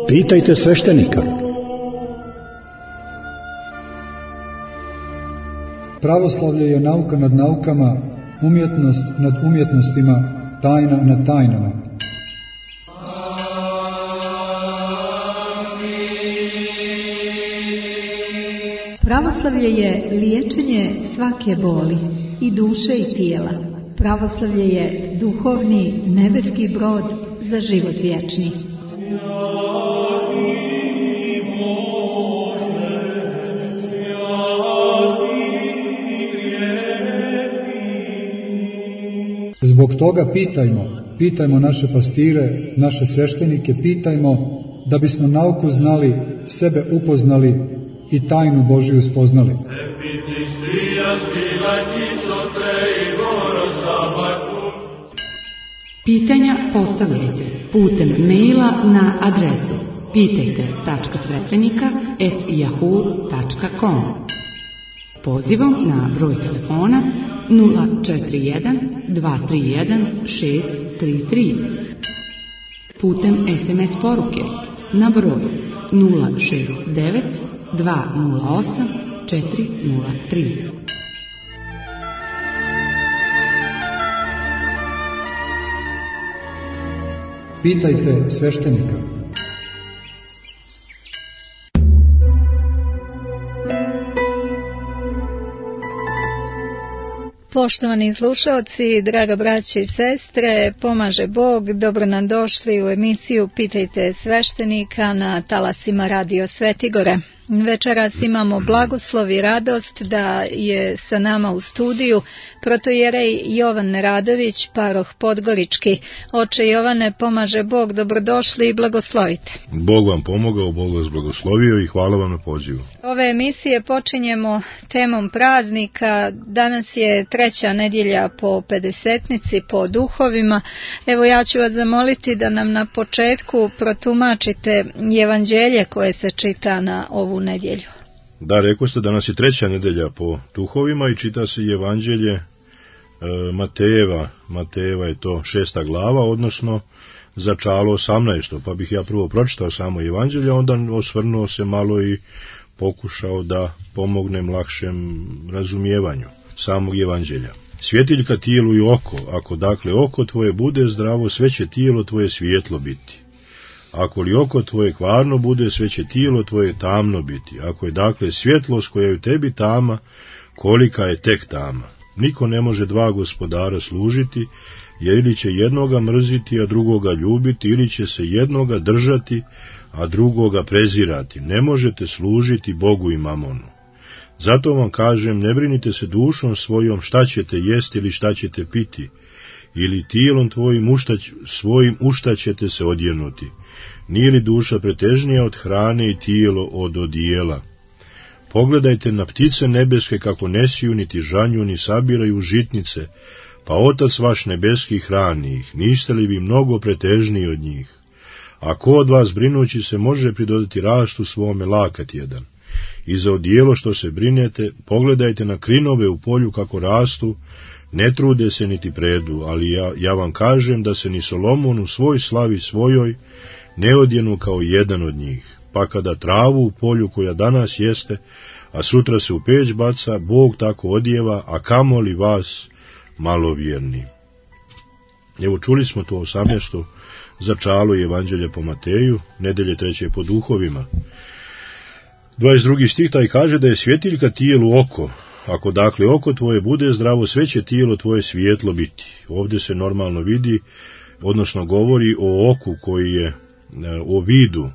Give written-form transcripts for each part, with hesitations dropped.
Pitajte sveštenika. Pravoslavlje je nauka nad naukama, umjetnost nad umjetnostima, tajna nad tajnama. Pravoslavlje je liječenje svake boli, i duše i tijela. Pravoslavlje je duhovni nebeski brod za život vječni. Zbog toga pitajmo naše pastire, naše sveštenike, pitajmo da bismo nauku znali, sebe upoznali i tajnu Božiju spoznali. Pitanja postavljajte putem maila na adresu pitajte.sveštenika@yahoo.com. Pozivom na broj telefona 041 231 633. Putem SMS poruke na broj 069 208 403. Pitajte sveštenika. Poštovani slušalci, draga braćo i sestre, pomaže Bog, dobro nam došli u emisiju Pitajte sveštenika na talasima Radio Svetigore. Večeras imamo blagoslov i radost da je sa nama u studiju protojerej Jovan Radović, paroh Podgorički. Oče Jovane, pomaže Bog, dobrodošli i blagoslovite. Bog vam pomogao, Bog vas blagoslovio i hvala vam na pozivu. Ove emisije počinjemo temom praznika. Danas je 3. nedjelja po pedesetnici, po duhovima. Evo, ja ću vas zamoliti da nam na početku protumačite evanđelje koje se čita na ovu nedjelju. Da, rekao ste, danas je 3. nedelja po duhovima i čita se evanđelje Matejeva je to 6. glava, odnosno začalo 18. Pa bih ja prvo pročitao samo evanđelje, onda osvrnuo se malo i pokušao da pomognem lakšem razumijevanju samog evanđelja. Svjetiljka tijelu i oko, ako dakle oko tvoje bude zdravo, sve će tijelo tvoje svijetlo biti. Ako li oko tvoje kvarno bude, sve će tijelo tvoje tamno biti. Ako je dakle svjetlost koja je u tebi tama, kolika je tek tama. Niko ne može dva gospodara služiti, jer ili će jednoga mrziti, a drugoga ljubiti, ili će se jednoga držati, a drugoga prezirati. Ne možete služiti Bogu i mamonu. Zato vam kažem, ne brinite se dušom svojom šta ćete jesti ili šta ćete piti, ili tijelom tvojim svojim u šta ćete se odjenuti. Nije li duša pretežnija od hrane i tijelo od odijela? Pogledajte na ptice nebeske kako ne siju, niti žanju, ni sabiraju žitnice, pa Otac vaš nebeski hrani ih. Niste li vi mnogo pretežniji od njih? A ko od vas brinući se može pridodati rastu svome lakat jedan? I za odijelo što se brinete, pogledajte na krinove u polju kako rastu, ne trude se niti predu, ali ja vam kažem da se ni Solomon u svoj slavi svojoj ne odjenu kao jedan od njih. Pa kada travu u polju koja danas jeste, a sutra se u peć baca, Bog tako odjeva, a kamoli vas malovjerni. Evo, čuli smo to 18. začalo evanđelja po Mateju, nedelje 3. po duhovima. 22. stih taj kaže da je svjetiljka tijelu oko. Ako dakle oko tvoje bude zdravo, sve će tijelo tvoje svijetlo biti. Ovdje se normalno vidi, odnosno govori o oku koji je, o vidu,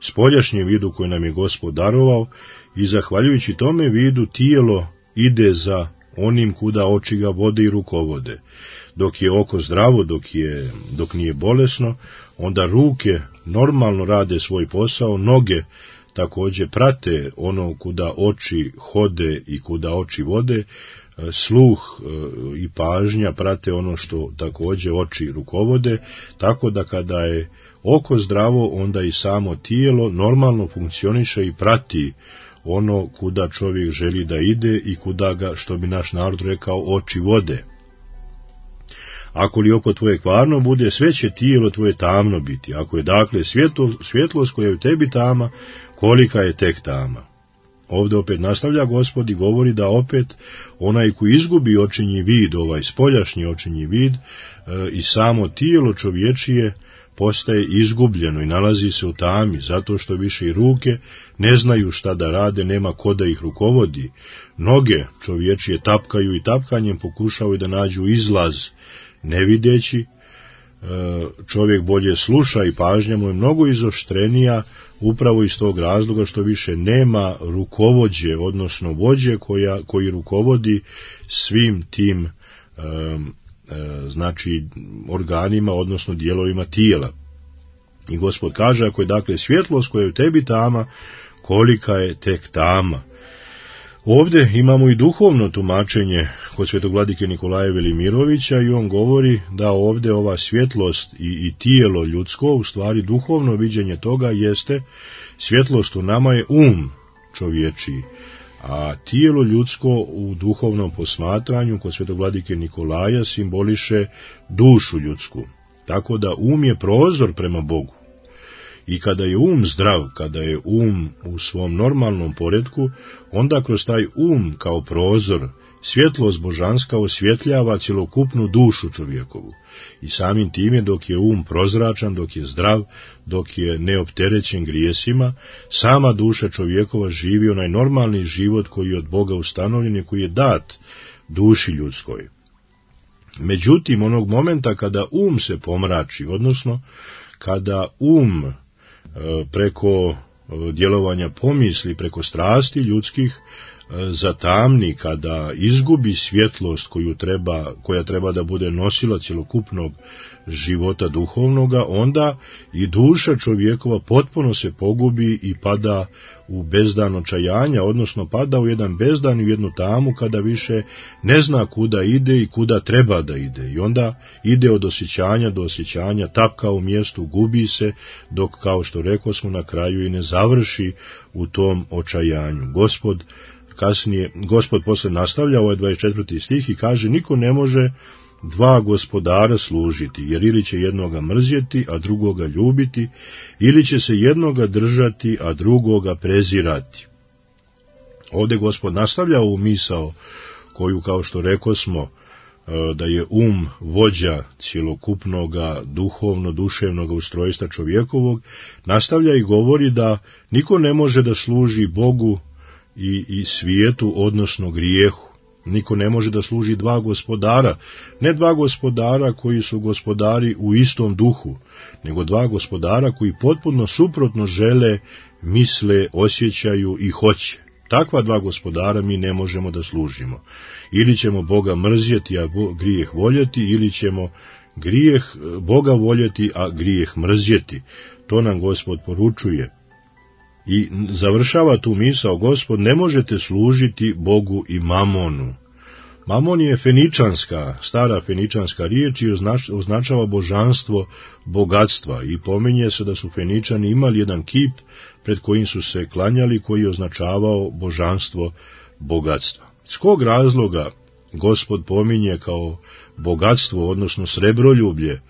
spoljašnjem vidu koji nam je Gospod darovao, i zahvaljujući tome vidu tijelo ide za onim kuda oči ga vode i rukovode. Dok je oko zdravo, dok nije bolesno, onda ruke normalno rade svoj posao, noge također prate ono kuda oči hode i kuda oči vode, sluh i pažnja prate ono što također oči rukovode, tako da kada je oko zdravo, onda i samo tijelo normalno funkcioniše i prati ono kuda čovjek želi da ide i kuda ga, što bi naš narod rekao, oči vode. Ako li oko tvoje kvarno bude, sve će tijelo tvoje tamno biti. Ako je dakle svjetlost koja je u tebi tama, kolika je tek tama. Ovdje opet nastavlja Gospod i govori da opet onaj koji izgubi očinji vid, ovaj spoljašnji očinji vid, i samo tijelo čovječije postaje izgubljeno i nalazi se u tami, zato što više i ruke ne znaju šta da rade, nema ko da ih rukovodi. Noge čovječije tapkaju i tapkanjem pokušavaju da nađu izlaz, ne videći. Čovjek bolje sluša i pažnja mu je mnogo izoštrenija, upravo iz tog razloga što više nema rukovođe, odnosno vođe koji rukovodi svim tim znači organima, odnosno dijelovima tijela. I Gospod kaže, ako je dakle svjetlost koja je u tebi tama, kolika je tek tama. Ovdje imamo i duhovno tumačenje kod svetog vladike Nikolaja Velimirovića i on govori da ovdje ova svjetlost i tijelo ljudsko, u stvari duhovno viđenje toga jeste, svjetlost u nama je čovječiji, a tijelo ljudsko u duhovnom posmatranju kod svetog vladike Nikolaja simboliše dušu ljudsku. Tako da je prozor prema Bogu. I kada je zdrav, kada je u svom normalnom poretku, onda kroz taj kao prozor svjetlost božanska osvjetljava cjelokupnu dušu čovjekovu. I samim time dok je prozračan, dok je zdrav, dok je neopterećen grijesima, sama duša čovjekova živi onaj normalni život koji je od Boga ustanovljen i koji je dat duši ljudskoj. Međutim, onog momenta kada se pomrači, odnosno kada preko djelovanja pomisli, preko strasti ljudskih zatamni, kada izgubi svjetlost koja treba da bude nosila cjelokupnog života duhovnoga, onda i duša čovjekova potpuno se pogubi i pada u bezdan očajanja, odnosno pada u jedan bezdan, u jednu tamu kada više ne zna kuda ide i kuda treba da ide. I onda ide od osjećanja do osjećanja, tapka u mjestu, gubi se, dok, kao što rekosmo, na kraju i ne završi u tom očajanju. Gospod posle nastavlja ovaj 24. stih i kaže, niko ne može dva gospodara služiti, jer ili će jednoga mrzjeti, a drugoga ljubiti, ili će se jednoga držati, a drugoga prezirati. Ovdje Gospod nastavlja ovu misao koju, kao što rekosmo, da je vođa cjelokupnoga duhovno-duševnog ustrojstva čovjekovog, nastavlja i govori da niko ne može da služi Bogu i svijetu, odnosno grijehu. Niko ne može da služi dva gospodara, ne dva gospodara koji su gospodari u istom duhu, nego dva gospodara koji potpuno suprotno žele, misle, osjećaju i hoće. Takva dva gospodara mi ne možemo da služimo. Ili ćemo Boga mrzjeti, a grijeh voljeti, ili ćemo Boga voljeti, a grijeh mrzjeti. To nam Gospod poručuje. I završava tu misao Gospod, ne možete služiti Bogu i mamonu. Mamon je stara feničanska riječ i označava božanstvo bogatstva i pominje se da su Feničani imali jedan kip pred kojim su se klanjali, koji je označavao božanstvo bogatstva. S kog razloga Gospod pominje kao bogatstvo, odnosno srebroljublje?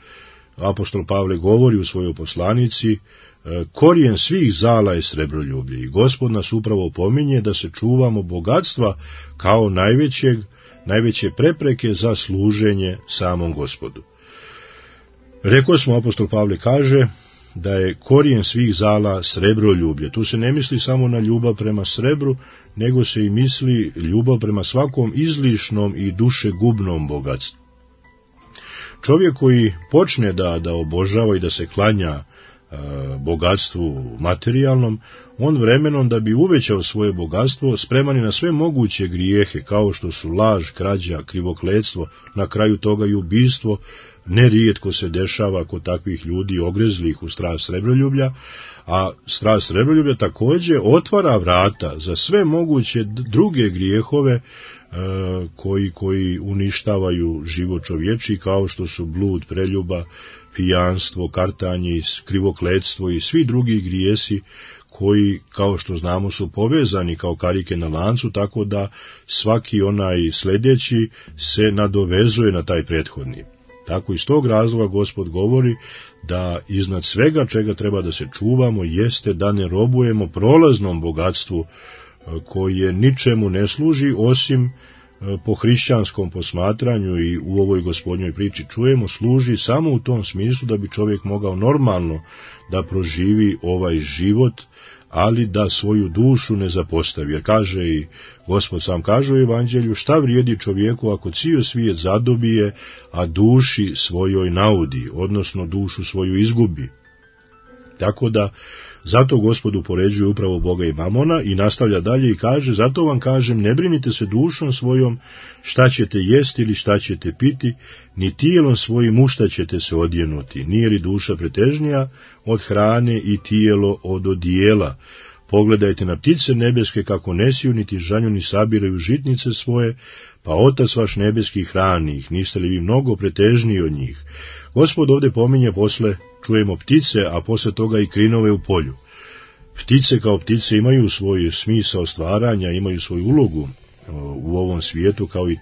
Apostol Pavle govori u svojoj poslanici, korijen svih zala je srebroljublje, i Gospod nas upravo pominje da se čuvamo bogatstva kao najveće prepreke za služenje samom Gospodu. Rekosmo, apostol Pavle kaže da je korijen svih zala srebroljublje. Tu se ne misli samo na ljubav prema srebru, nego se i misli ljubav prema svakom izlišnom i dušegubnom bogatstvu. Čovjek koji počne da obožava i da se klanja bogatstvu materijalnom, on vremenom, da bi uvećao svoje bogatstvo, spreman je na sve moguće grijehe, kao što su laž, krađa, krivokletstvo, na kraju toga i ubistvo. Nerijetko se dešava kod takvih ljudi ogrezlih u strast srebroljublja, a strast srebroljublja također otvara vrata za sve moguće druge grijehove koji uništavaju život čovječi, kao što su blud, preljuba, pijanstvo, kartanje, krivokletstvo i svi drugi grijesi koji, kao što znamo, su povezani kao karike na lancu, tako da svaki onaj sljedeći se nadovezuje na taj prethodni. Tako iz tog razloga Gospod govori da iznad svega čega treba da se čuvamo jeste da ne robujemo prolaznom bogatstvu koje ničemu ne služi osim po hrišćanskom posmatranju i u ovoj Gospodnjoj priči čujemo, služi samo u tom smislu da bi čovjek mogao normalno da proživi ovaj život, ali da svoju dušu ne zapostavi. Jer kaže i Gospod sam kaže u Evanđelju, šta vrijedi čovjeku ako cijel svijet zadobije, a duši svojoj naudi, odnosno dušu svoju izgubi. Tako da, zato Gospod upoređuje upravo Boga i mamona i nastavlja dalje i kaže, zato vam kažem, ne brinite se dušom svojom šta ćete jesti ili šta ćete piti, ni tijelom svojim u šta ćete se odjenuti, nije li duša pretežnija od hrane i tijelo od odijela. Pogledajte na ptice nebeske kako ne siju, niti žanju, ni sabiraju žitnice svoje, pa Otac vaš nebeski hrani ih, niste li vi mnogo pretežniji od njih? Gospod ovdje pominje posle, čujemo ptice, a posle toga i krinove u polju. Ptice kao ptice imaju svoj smisao stvaranja, imaju svoju ulogu u ovom svijetu, kao i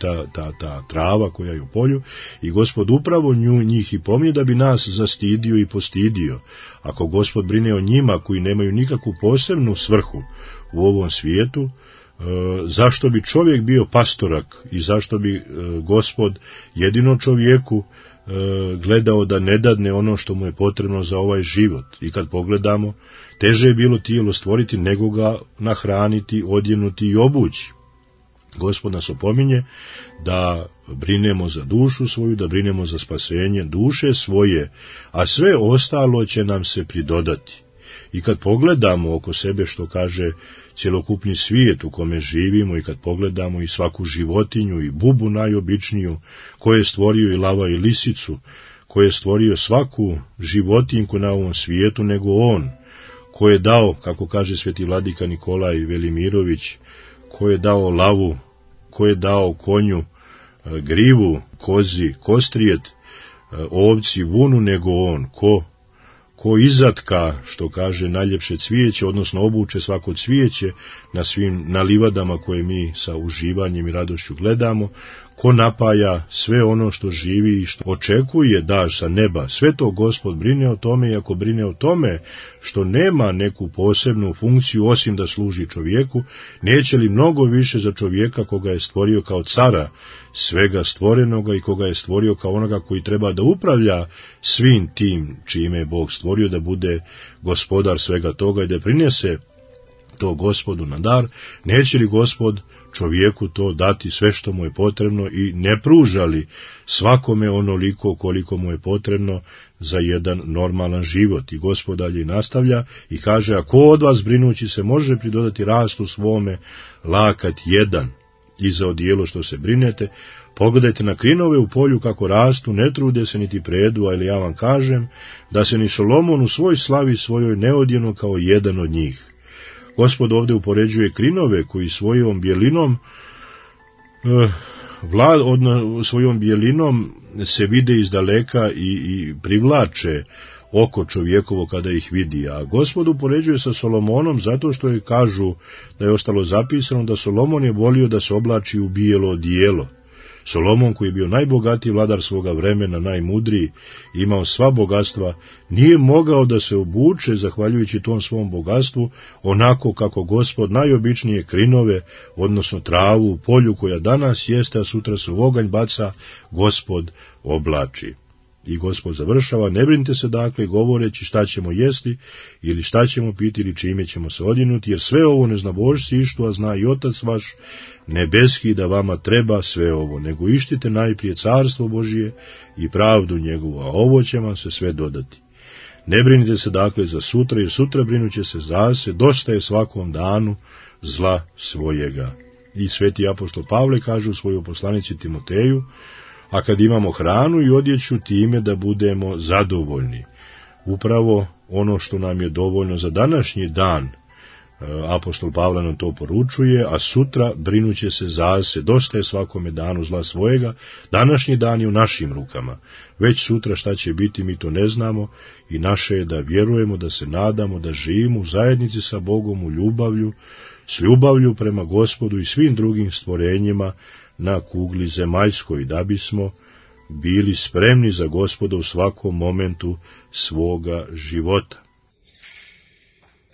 ta trava koja je u polju, i Gospod upravo njih i pominje da bi nas zastidio i postidio. Ako Gospod brine o njima koji nemaju nikakvu posebnu svrhu u ovom svijetu, zašto bi čovjek bio pastorak i zašto bi Gospod jedino čovjeku gledao da ne dadne ono što mu je potrebno za ovaj život? I kad pogledamo, teže je bilo tijelo stvoriti nego ga nahraniti, odjenuti i obući. Gospod nas opominje da brinemo za dušu svoju, da brinemo za spasenje duše svoje, a sve ostalo će nam se pridodati. I kad pogledamo oko sebe što kaže cjelokupni svijet u kome živimo, i kad pogledamo i svaku životinju i bubu najobičniju, koje je stvorio i lava i lisicu, koje je stvorio svaku životinjku na ovom svijetu nego on, koje je dao, kako kaže sveti vladika Nikolaj Velimirović, ko je dao lavu, ko je dao konju grivu, kozi kostrijet, ovci vunu nego on, ko izatka, što kaže, najljepše cvijeće, odnosno obuče svako cvijeće na livadama koje mi sa uživanjem i radošću gledamo, ko napaja sve ono što živi i što očekuje daž sa neba. Sve to Gospod brine o tome, i ako brine o tome što nema neku posebnu funkciju osim da služi čovjeku, neće li mnogo više za čovjeka koga je stvorio kao cara svega stvorenoga i koga je stvorio kao onoga koji treba da upravlja svim tim čime je Bog stvorio, da bude gospodar svega toga i da prinese to Gospodu na dar, neće li Gospod čovjeku to dati sve što mu je potrebno i ne pruža li svakome onoliko koliko mu je potrebno za jedan normalan život? I Gospod dalje nastavlja i kaže, ako od vas brinući se može pridodati rastu svome lakat jedan i za odijelo što se brinete, pogledajte na krinove u polju kako rastu, ne trude se niti predu, ali ja vam kažem da se ni Solomon u svoj slavi svojoj ne odjenu kao jedan od njih. Gospod ovdje upoređuje krinove koji svojom bijelinom se vide iz daleka i privlače oko čovjekovo kada ih vidi. A Gospod upoređuje sa Solomonom zato što je, kažu da je ostalo zapisano, da Solomon je volio da se oblači u bijelo odijelo. Solomon, koji je bio najbogatiji vladar svoga vremena, najmudriji, imao sva bogatstva, nije mogao da se obuče, zahvaljujući tom svom bogatstvu, onako kako Gospod najobičnije krinove, odnosno travu u polju koja danas jeste, a sutra se u oganj baca, Gospod oblači. I Gospod završava, ne brinite se dakle govoreći šta ćemo jesti ili šta ćemo piti ili čime ćemo se odjenuti, jer sve ovo ne zna božci, a zna i Otac vaš nebeski da vama treba sve ovo, nego ištite najprije carstvo Božije i pravdu njegovu, a ovo će vam se sve dodati. Ne brinite se dakle za sutra, jer sutra brinuće se za se, dosta je svakom danu zla svojega. I sveti apostol Pavle kaže u svojoj poslanici Timoteju, a kad imamo hranu i odjeću, time da budemo zadovoljni. Upravo ono što nam je dovoljno za današnji dan, apostol Pavle nam to poručuje, a sutra brinuće se za se, dosta je svakome danu zla svojega, današnji dan je u našim rukama. Već sutra šta će biti mi to ne znamo i naše je da vjerujemo, da se nadamo, da živimo u zajednici sa Bogom, u ljubavlju, s ljubavlju prema Gospodu i svim drugim stvorenjima na kugli zemaljskoj, da bismo bili spremni za Gospoda u svakom momentu svoga života.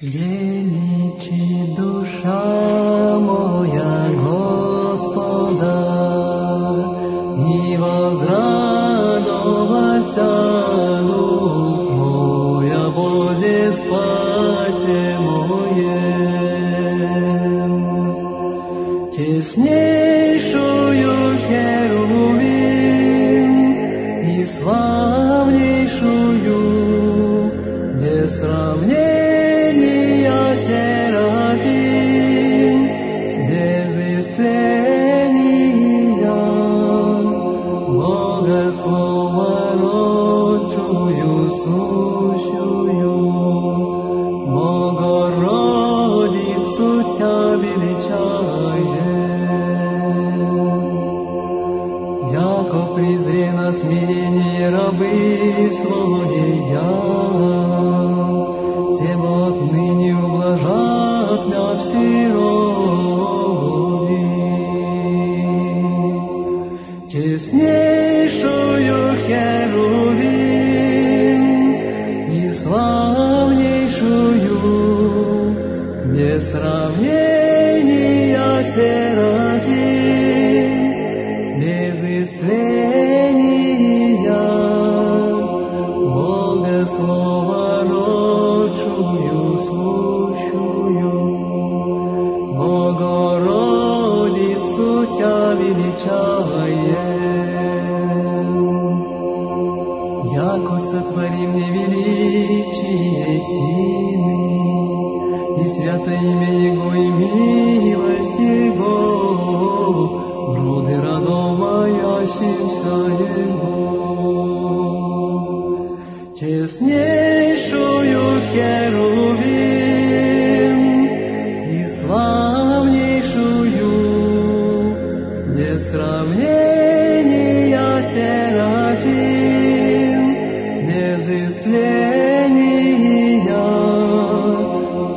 Vjeniči duša moja Gospoda i возрадовася дух моя Бозе спасе моем. Теснейшую Херувим и славнейшую без сравнения Серафим, без истления Богослова родчую сущую, Богородицу Тя величаем. Яко презре на смирение рабы своя, тем отныне ублажат мя всерови. Честнейшую Херувим и славнейшую без сравнения Серафим, без истления Богослова родчую сущую, Богородицу Тя величаем. Яко сотворим невеличие сильны, и свято имя Его и милость Его, груды родов моящимся Его. Честнейшую Херувим и славнейшую без сравнения Серафим, без истления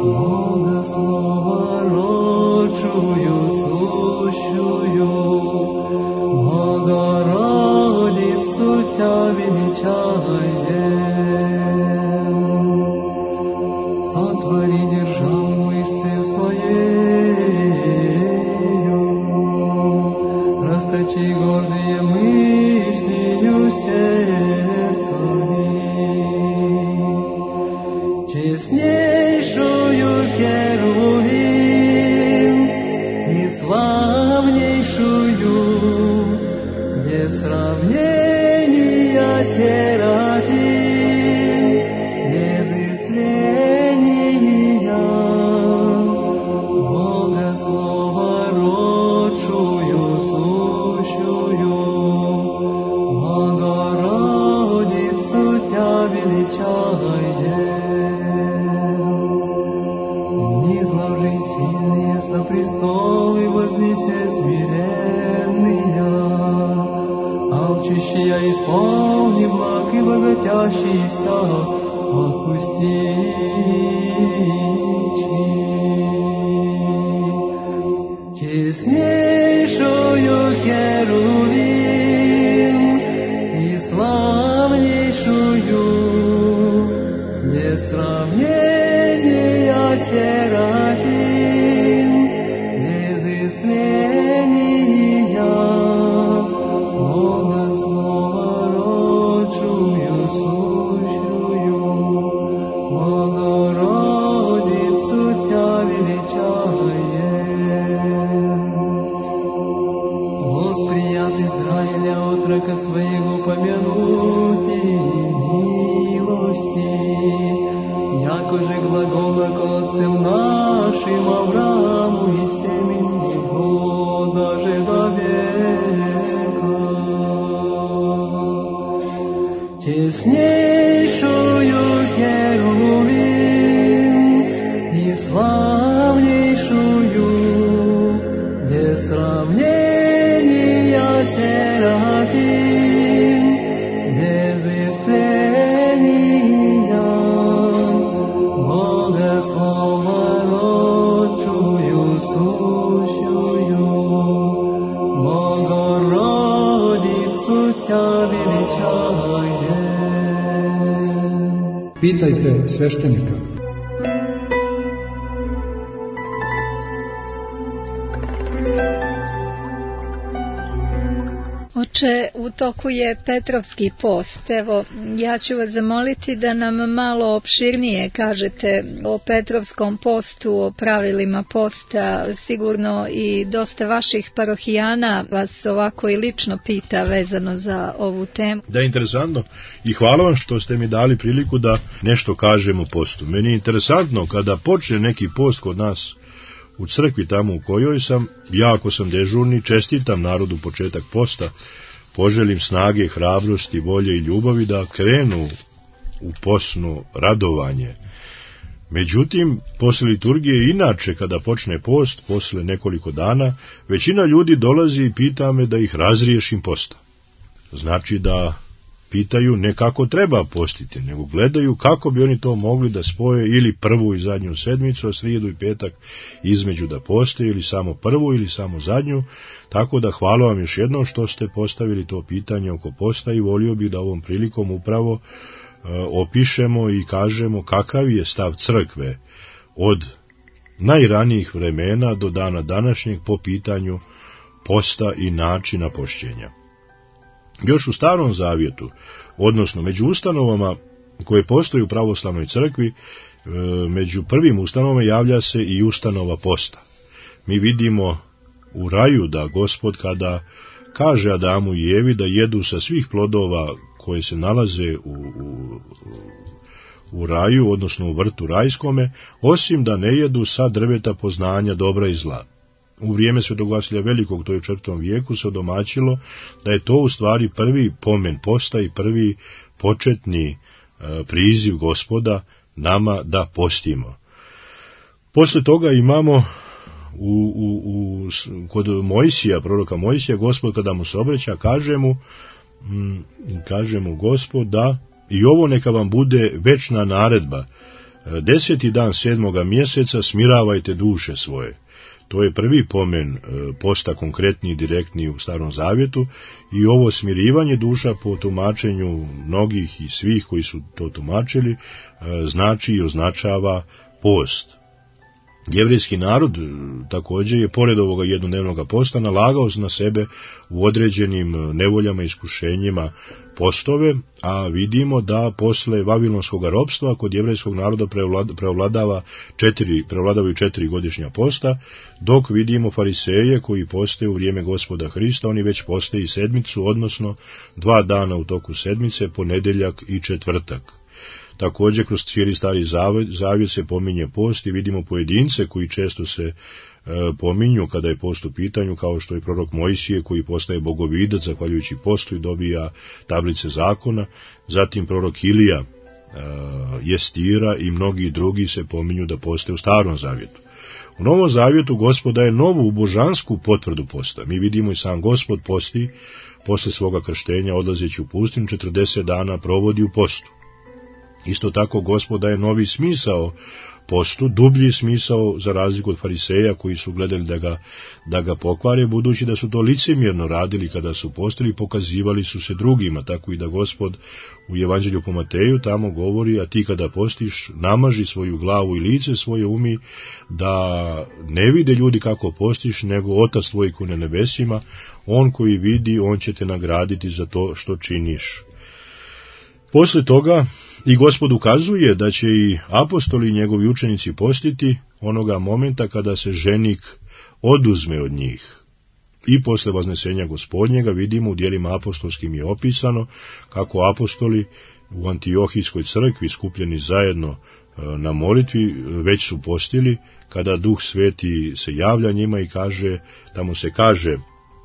Богослова родчую сущую, Богородицу Тя величаем. Сотвори державу мышцы своею, расточи гордые мыслью сердцами. Честнейшую Херувим и славнейшую без сравнения Серафим, без истления Богослова родчую сущую, Богородицу Тя величаем. Низложи сильные со престолы, вознеся смиренные, алчущие исполни благ и богатящийся отпусти. Честнейшую Херувим и славнейшую без сравнения Серафим, без истления Богослова родчую сущую, Богородицу Тя величаем. Восприят Израиля отрока своего помянуть и милости, яко же глагола к отцам нашим Аврааму и семени его даже до века. Честнейшую Херувим и славнейшую без сравнения Серафим, без истления Богослова родчую сущую, Богородицу Тя Pitajte sveštenika. Oče, u toku je Petrovski post. Evo, ja ću vas zamoliti da nam malo opširnije kažete o Petrovskom postu, o pravilima posta. Sigurno i dosta vaših parohijana vas ovako i lično pita vezano za ovu temu. Da, interesantno. I hvala vam što ste mi dali priliku da nešto kažem o postu. Meni je interesantno kada počne neki post kod nas u crkvi tamo u kojoj sam, ja ako sam dežurni, čestitam narodu početak posta, poželim snage, hrabrosti, volje i ljubavi da krenu u postno radovanje. Međutim, posle liturgije inače, kada počne post, posle nekoliko dana, većina ljudi dolazi i pita me da ih razriješim posta. Znači da pitaju ne kako treba postiti, nego gledaju kako bi oni to mogli da spoje ili prvu i zadnju sedmicu, a srijedu i petak između da poste, ili samo prvu ili samo zadnju. Tako da hvala vam još jednom što ste postavili to pitanje oko posta i volio bih da ovom prilikom upravo opišemo i kažemo kakav je stav crkve od najranijih vremena do dana današnjeg po pitanju posta i načina pošćenja. Još u Starom Zavjetu, odnosno među ustanovama koje postoje u pravoslavnoj crkvi, među prvim ustanovama javlja se i ustanova posta. Mi vidimo u raju da Gospod kada kaže Adamu i Evi da jedu sa svih plodova koje se nalaze u raju, odnosno u vrtu rajskome, osim da ne jedu sa drveta poznanja dobra i zla. U vrijeme Svetog Vasilija Velikog, to je u 4. vijeku, se odomaćilo da je to u stvari prvi pomen posta i prvi početni priziv Gospoda nama da postimo. Posle toga imamo kod Mojsija, proroka Mojsija, Gospod kada mu se obraća, kaže mu Gospod da i ovo neka vam bude večna naredba. 10. dan 7. mjeseca smiravajte duše svoje. To je prvi pomen posta, konkretni i direktni u Starom Zavjetu, i ovo smirivanje duša po tumačenju mnogih i svih koji su to tumačili znači i označava post. Jevrejski narod također je pored ovoga jednodnevnog posta nalagao na sebe u određenim nevoljama i iskušenjima postove, a vidimo da posle vavilonskog ropstva kod jevrejskog naroda prevladavaju 4 godišnja posta, dok vidimo fariseje koji poste u vrijeme Gospoda Hrista, oni već poste i sedmicu, odnosno 2 dana u toku sedmice, ponedjeljak i četvrtak. Također kroz cijeli Stari Zavjet se pominje post i vidimo pojedince koji često se pominju kada je post u pitanju, kao što je prorok Mojsije koji postaje bogovidac zahvaljujući postu i dobija tablice zakona, zatim prorok Ilija, Jestira i mnogi drugi se pominju da poste u Starom Zavjetu. U Novom Zavjetu Gospod daje novu božansku potvrdu posta. Mi vidimo i sam Gospod posti, posle svoga krštenja odlazeći u pustinju 40 dana provodi u postu. Isto tako Gospod daje novi smisao postu, dublji smisao za razliku od fariseja koji su gledali da ga pokvare, budući da su to licemjerno radili kada su postili, pokazivali su se drugima, tako i da Gospod u Evanđelju po Mateju tamo govori, a ti kada postiš namaži svoju glavu i lice svoje umi, da ne vide ljudi kako postiš, nego Otac tvoj koji na nebesima, on koji vidi, on će te nagraditi za to što činiš. Posle toga i Gospod ukazuje da će i apostoli i njegovi učenici postiti onoga momenta kada se ženik oduzme od njih. I posle vaznesenja Gospodnjega vidimo u djelima apostolskim je opisano kako apostoli u Antiohijskoj crkvi skupljeni zajedno na molitvi već su postili, kada Duh Sveti se javlja njima i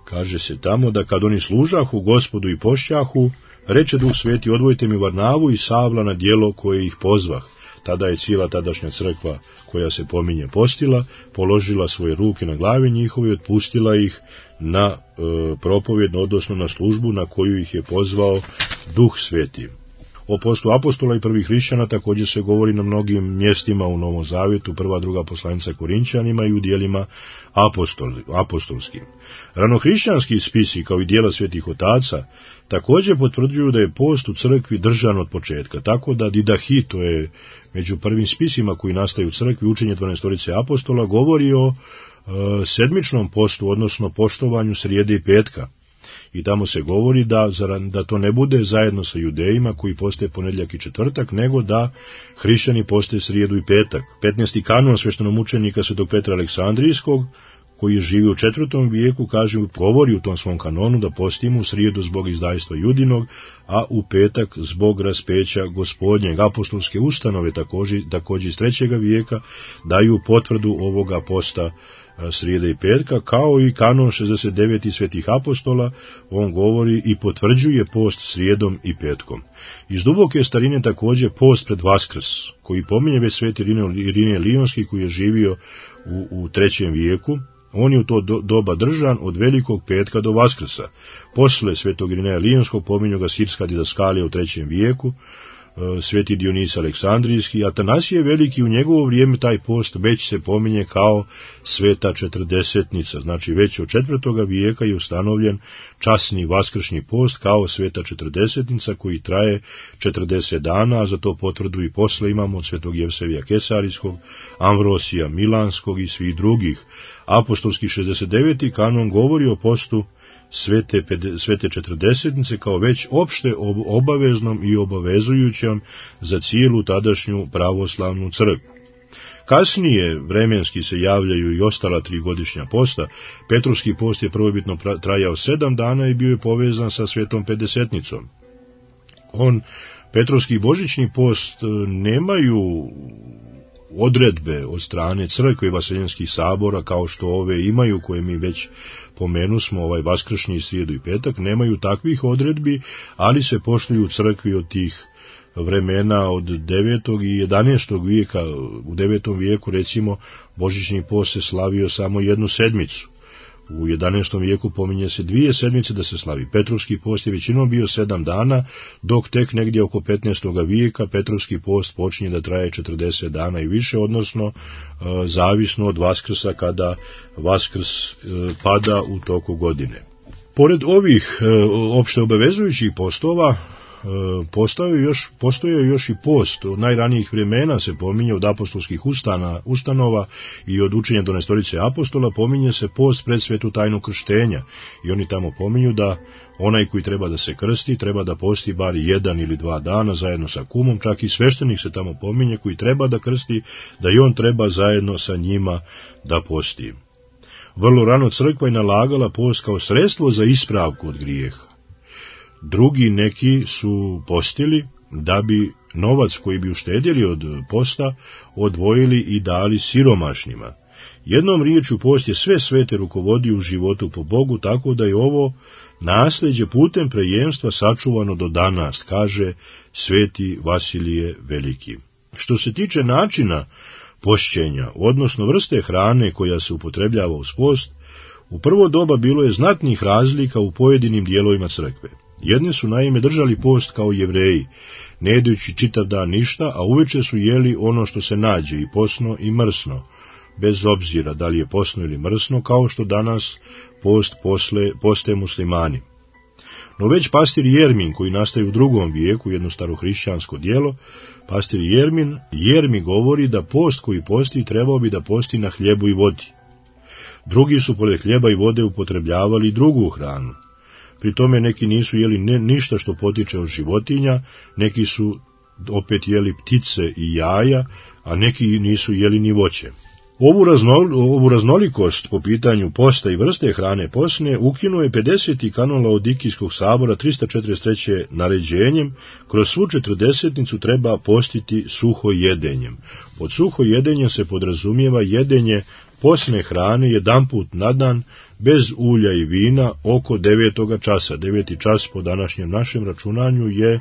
kaže se tamo da kad oni služahu Gospodu i pošćahu, reče Duh Sveti, odvojite mi Varnavu i Savla na djelo koje ih pozvah. Tada je cijela tadašnja crkva koja se pominje postila, položila svoje ruke na glavi njihove i otpustila ih na propovjedno, odnosno na službu na koju ih je pozvao Duh Sveti. O postu apostola i prvih hrišćana također se govori na mnogim mjestima u Novom Zavjetu, prva, druga poslanica Korinćanima i u dijelima apostolskim. Ranohrišćanski spisi, kao i dijela svetih otaca, također potvrđuju da je post u crkvi držan od početka, tako da Didahi, to je među prvim spisima koji nastaju u crkvi, učenje 12 apostola, govori o sedmičnom postu, odnosno poštovanju srijede i petka. I tamo se govori da to ne bude zajedno sa judejima koji poste ponedjeljak i četvrtak, nego da hrišćani poste srijedu i petak. 15. kanon sveštenomučenika svetog Petra Aleksandrijskog, koji je živio u 4. vijeku, govori u tom svom kanonu da postimo u srijedu zbog izdajstva judinog, a u petak zbog raspeća gospodnjeg. Apostolske ustanove također iz 3. vijeka daju potvrdu ovoga posta srijede i petka, kao i kanon 69 svetih apostola, on govori i potvrđuje post srijedom i petkom. Iz duboke starine također post pred Vaskrs, koji pominje već sveti Irinije Lionski, koji je živio u 3. vijeku. On je u to doba držan od velikog petka do Vaskrsa. Posle svetog Irineja Lionskog pominju ga sirska didaskalija u 3. vijeku, sveti Dionis Aleksandrijski, Atanasije Veliki, u njegovo vrijeme taj post već se pominje kao sveta četrdesetnica, znači već od 4. vijeka je ustanovljen časni vaskršnji post kao sveta četrdesetnica koji traje 40 dana, a za to potvrdu i posle imamo od svetog Jevsevija Kesarijskog, Amvrosija Milanskog i svih drugih. Apostolski 69. kanon govori o postu svete četrdesetnice kao već opšte obaveznom i obavezujućem za cijelu tadašnju pravoslavnu crkvu. Kasnije vremenski se javljaju i ostala 3 godišnja posta. Petrovski post je prvobitno trajao 7 dana i bio je povezan sa svetom pedesetnicom. Petrovski i božićni post nemaju odredbe od strane crkve i vaseljenskih sabora kao što ove imaju, koje mi već pomenusmo, vaskršnji, srijedu i petak, nemaju takvih odredbi, ali se poštuju u crkvi od tih vremena od 9. i 11. vijeka. U 9. vijeku recimo božićni post se slavio samo 1 sedmicu. U 11. vijeku pominje se 2 sedmice da se slavi. Petrovski post je većinom bio 7 dana, dok tek negdje oko 15. vijeka Petrovski post počinje da traje 40 dana i više, odnosno zavisno od Vaskrsa, kada Vaskrs pada u toku godine. Pored ovih opšte obavezujućih postova, postoje još i post. Od najranijih vremena se pominje od apostolskih ustanova i od učenja 12 apostola pominje se post pred svetu tajnu krštenja. I oni tamo pominju da onaj koji treba da se krsti treba da posti bar 1 ili 2 dana zajedno sa kumom, čak i sveštenik se tamo pominje koji treba da krsti, da i on treba zajedno sa njima da posti. Vrlo rano crkva je nalagala post kao sredstvo za ispravku od grijeha. Drugi neki su postili da bi novac koji bi uštedjeli od posta odvojili i dali siromašnima. Jednom riječju post je sve svete rukovodio u životu po Bogu, tako da je ovo nasljeđe putem prejemstva sačuvano do danas, kaže sveti Vasilije Veliki. Što se tiče načina pošćenja, odnosno vrste hrane koja se upotrebljava uz post, u prvo doba bilo je znatnih razlika u pojedinim dijelovima crkve. Jedni su naime držali post kao Jevreji, ne jedući čitav dan ništa, a uveče su jeli ono što se nađe, i posno i mrsno, bez obzira da li je posno ili mrsno, kao što danas poste muslimani. No već pastir Jermin, koji nastaje u 2. vijeku, jedno starohrišćansko djelo, pastir Jermi govori da post koji posti trebao bi da posti na hljebu i vodi. Drugi su pored hljeba i vode upotrebljavali drugu hranu. Pri tome neki nisu jeli ništa što potiče od životinja, neki su opet jeli ptice i jaja, a neki nisu jeli ni voće. Ovu raznolikost po pitanju posta i vrste hrane posne ukinuo je 50. kanon Laodikijskog sabora 343. naređenjem: kroz svu četrdesetnicu treba postiti suho jedenjem. Pod suho jedenjem se podrazumijeva jedenje posne hrane jedanput na dan, bez ulja i vina, oko 9. časa. 9. čas po današnjem našem računanju je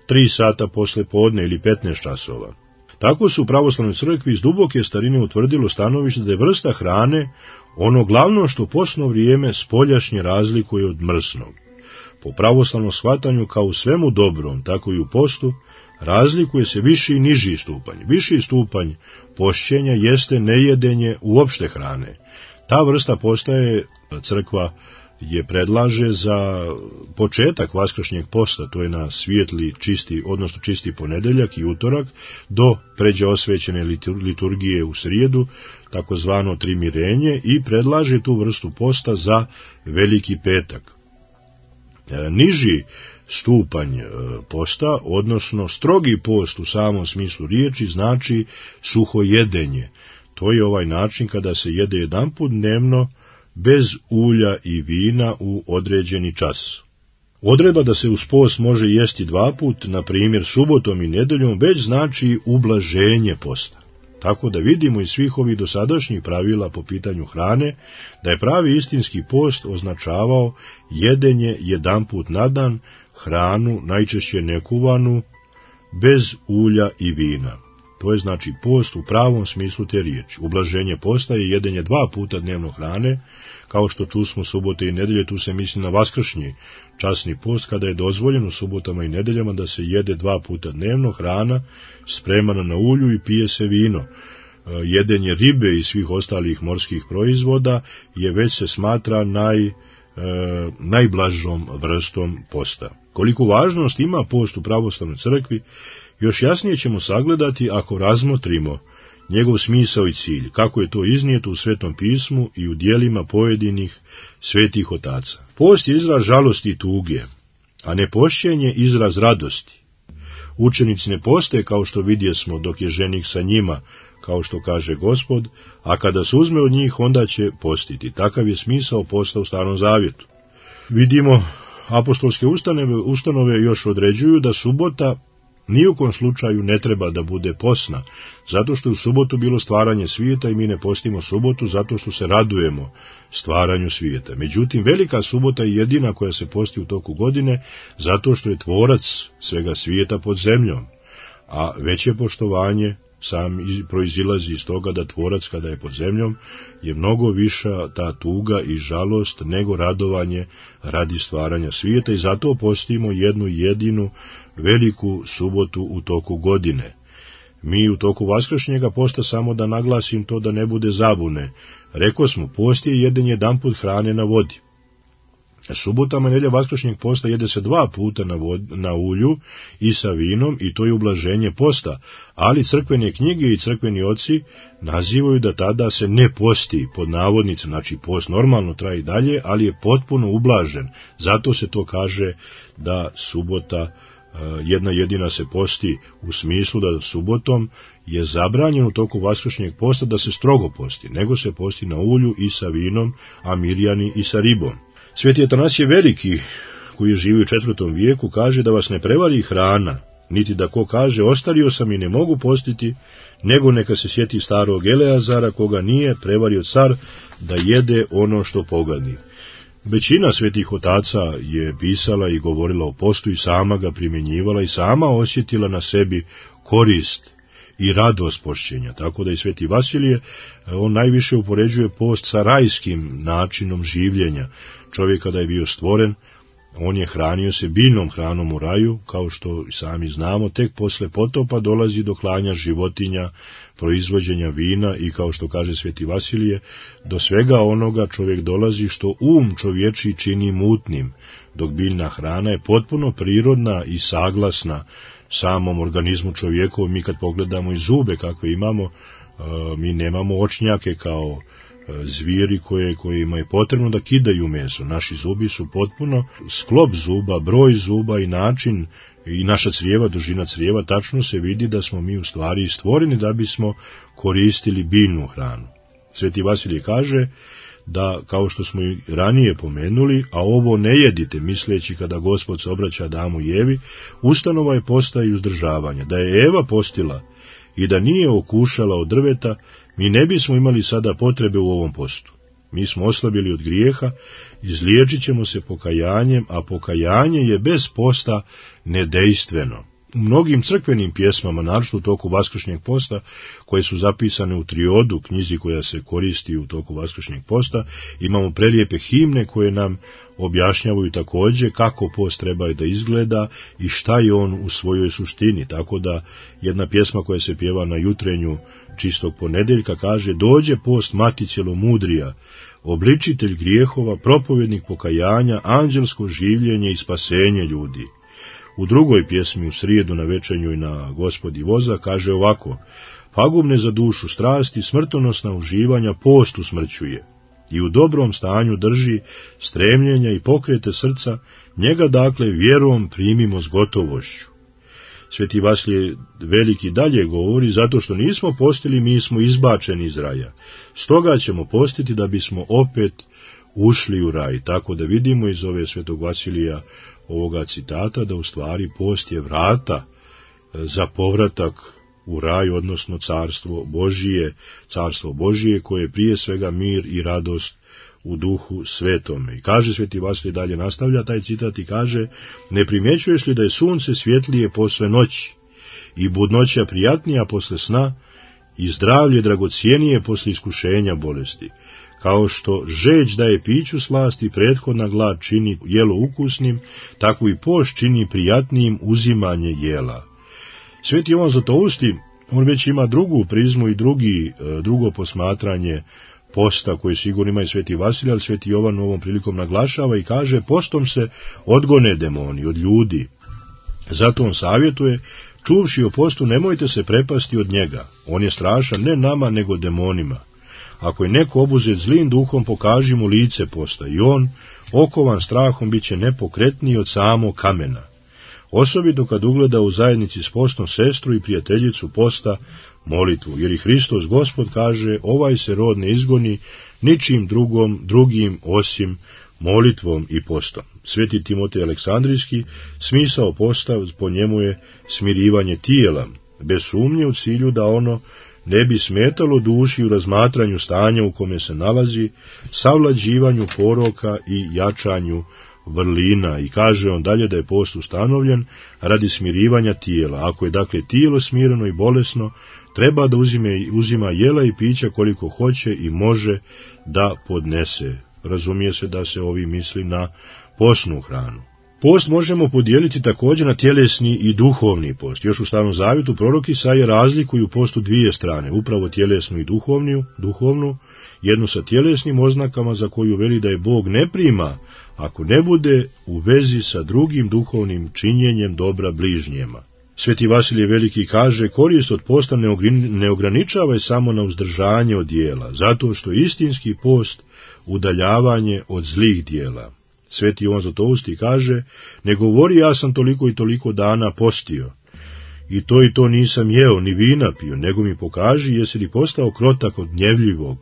3 sata posle podne ili 15 časova. Tako su u pravoslavnoj crkvi iz duboke starine utvrdilo stanovište da je vrsta hrane ono glavno što posno vrijeme spoljašnje razlikuje od mrsnog. Po pravoslavnom shvatanju, kao u svemu dobrom, tako i u postu, razlikuje se viši i niži stupanj. Viši stupanj pošćenja jeste nejedenje uopšte hrane. Ta vrsta postaje, crkva je predlaže za početak vaskršnjeg posta, to je na svijetli, čisti, odnosno čisti ponedeljak i utorak, do pređe osvećene liturgije u srijedu, takozvano trimirenje, i predlaže tu vrstu posta za veliki petak. Niži stupanj posta, odnosno strogi post u samom smislu riječi, znači suhojedenje. To je ovaj način kada se jede jedanput dnevno bez ulja i vina u određeni čas. Odredba da se uz post može jesti dva put, na primjer subotom i nedeljom, već znači ublaženje posta. Tako da vidimo iz svih ovih dosadašnjih pravila po pitanju hrane, da je pravi istinski post označavao jedenje jedanput na dan, hranu najčešće nekuvanu, bez ulja i vina. To je znači post u pravom smislu te riječi. Ublaženje posta je jedenje dva puta dnevno hrane, kao što čusmo subote i nedelje, tu se misli na vaskršnji časni post, kada je dozvoljeno subotama i nedeljama da se jede dva puta dnevno hrana spremana na ulju i pije se vino. Jedenje ribe i svih ostalih morskih proizvoda je već se smatra najblažom vrstom posta. Koliku važnost ima post u pravoslavnoj crkvi, još jasnije ćemo sagledati ako razmotrimo njegov smisao i cilj, kako je to iznijeto u Svetom pismu i u djelima pojedinih svetih otaca. Post je izraz žalosti i tuge, a nepošćenje izraz radosti. Učenici ne poste kao što vidjesmo dok je ženik sa njima, kao što kaže Gospod, a kada se uzme od njih, onda će postiti. Takav je smisao posta u Starom Zavjetu. Vidimo, apostolske ustanove još određuju da subota ni u kom slučaju ne treba da bude posna, zato što je u subotu bilo stvaranje svijeta i mi ne postimo subotu zato što se radujemo stvaranju svijeta. Međutim, velika subota je jedina koja se posti u toku godine, zato što je tvorac svega svijeta pod zemljom, a veće poštovanje sam proizilazi iz toga da tvorac kada je pod zemljom je mnogo viša ta tuga i žalost nego radovanje radi stvaranja svijeta, i zato postimo jednu jedinu veliku subotu u toku godine. Mi u toku vaskršnjega posta, samo da naglasim to da ne bude zabune, rekosmo, post je jedan jedanput hrane na vodi. Subotama nedelja vaskršnjeg posta jede se dva puta na ulju i sa vinom, i to je ublaženje posta, ali crkvene knjige i crkveni oci nazivaju da tada se ne posti, pod navodnicima, znači post normalno traje i dalje, ali je potpuno ublažen. Zato se to kaže da subota jedna jedina se posti, u smislu da subotom je zabranjeno u toku vaskršnjeg posta da se strogo posti, nego se posti na ulju i sa vinom, a mirjani i sa ribom. Sveti Atanasije Veliki, koji živi u 4. vijeku, kaže da vas ne prevari hrana, niti da ko kaže ostario sam i ne mogu postiti, nego neka se sjeti starog Eleazara, koga nije prevario car da jede ono što pogadi. Većina svetih otaca je pisala i govorila o postu i sama ga primjenjivala i sama osjetila na sebi korist i radost pošćenja, tako da i sveti Vasilije, on najviše upoređuje post sa rajskim načinom življenja. Čovjek kada je bio stvoren, on je hranio se biljnom hranom u raju, kao što sami znamo, tek posle potopa dolazi do klanja životinja, proizvođenja vina i, kao što kaže sveti Vasilije, do svega onoga čovjek dolazi što čovječi čini mutnim, dok biljna hrana je potpuno prirodna i saglasna samom organizmu čovjekovom. Mi kad pogledamo i zube kakve imamo, mi nemamo očnjake kao zvijeri kojima je potrebno da kidaju meso. Naši zubi su potpuno sklop zuba, broj zuba i način i naša crijeva, dužina crijeva, tačno se vidi da smo mi u stvari stvoreni da bismo koristili biljnu hranu. Sveti Vasilije kaže da, kao što smo i ranije pomenuli, a ovo ne jedite, misleći kada Gospod se obraća Adamu i Evi, ustanova je posta i uzdržavanja. Da je Eva postila i da nije okušala od drveta, mi ne bismo imali sada potrebe u ovom postu. Mi smo oslabili od grijeha, izliječit ćemo se pokajanjem, a pokajanje je bez posta nedejstveno. U mnogim crkvenim pjesmama, naročito u toku Vaskršnjeg posta, koje su zapisane u triodu, knjizi koja se koristi u toku Vaskršnjeg posta, imamo prelijepe himne koje nam objašnjavaju također kako post treba da izgleda i šta je on u svojoj suštini. Tako da jedna pjesma koja se pjeva na jutrenju čistog ponedeljka kaže: dođe post mati cjelomudrija, obličitelj grijehova, propovjednik pokajanja, anđelsko življenje i spasenje ljudi. U drugoj pjesmi u srijedu na večernju i na Gospodi voza kaže ovako: pagubne za dušu strasti, smrtonosna uživanja post usmrćuje i u dobrom stanju drži stremljenja i pokrete srca, njega dakle vjerom primimo s gotovošću. Sveti Vasilije Veliki dalje govori: zato što nismo postili, mi smo izbačeni iz raja. Stoga ćemo postiti da bismo opet ušli u raj. Tako da vidimo iz ove Svetog Vasilija ovoga citata da u stvari post je vrata za povratak u raj, odnosno carstvo Božije koje je prije svega mir i radost u duhu svetome. I kaže Sveti Vasilije, dalje nastavlja taj citat i kaže: ne primjećuješ li da je sunce svjetlije posle noći i budnoća prijatnija posle sna i zdravlje dragocijenije posle iskušenja bolesti? Kao što žeđ daje piću slast i prethodna glad čini jelo ukusnim, tako i post čini prijatnijim uzimanje jela. Sveti Jovan Zlatousti, on već ima drugu prizmu i drugo posmatranje posta koje sigurno ima i Sveti Vasilij, ali Sveti Jovan ovom prilikom naglašava i kaže: postom se odgone demoni od ljudi. Zato on savjetuje: čuvši o postu nemojte se prepasti od njega. On je strašan ne nama nego demonima. Ako je neko obuzet zlim duhom, pokaži mu lice posta i on, okovan strahom, bit će nepokretniji od samog kamena. Osobito kad ugleda u zajednici s postom sestru i prijateljicu posta molitvu, jer i Hristos Gospod kaže: ovaj se rod ne izgoni ničim drugim osim molitvom i postom. Sveti Timotej Aleksandrijski, smisao posta po njemu je smirivanje tijela, bez sumnje u cilju da ono ne bi smetalo duši u razmatranju stanja u kome se nalazi, savlađivanju poroka i jačanju vrlina. I kaže on dalje da je post ustanovljen radi smirivanja tijela. Ako je dakle tijelo smireno i bolesno, treba da uzima jela i pića koliko hoće i može da podnese. Razumije se da se ovi misli na postnu hranu. Post možemo podijeliti također na tjelesni i duhovni post. Još u Starom Zavjetu prorok Isaija razlikuju postu dvije strane, upravo tjelesnu i duhovnu, jednu sa tjelesnim oznakama za koju veli da je Bog ne prima ako ne bude u vezi sa drugim duhovnim činjenjem dobra bližnjema. Sveti Vasilije Veliki kaže: korist od posta ne ograničava je samo na uzdržanje od dijela, zato što istinski post udaljavanje od zlih dijela. Sveti Jovan Zlatousti kaže: ne govori ja sam toliko i toliko dana postio i to nisam jeo ni vina pio, nego mi pokaži jesi li postao krotak od gnjevljivog,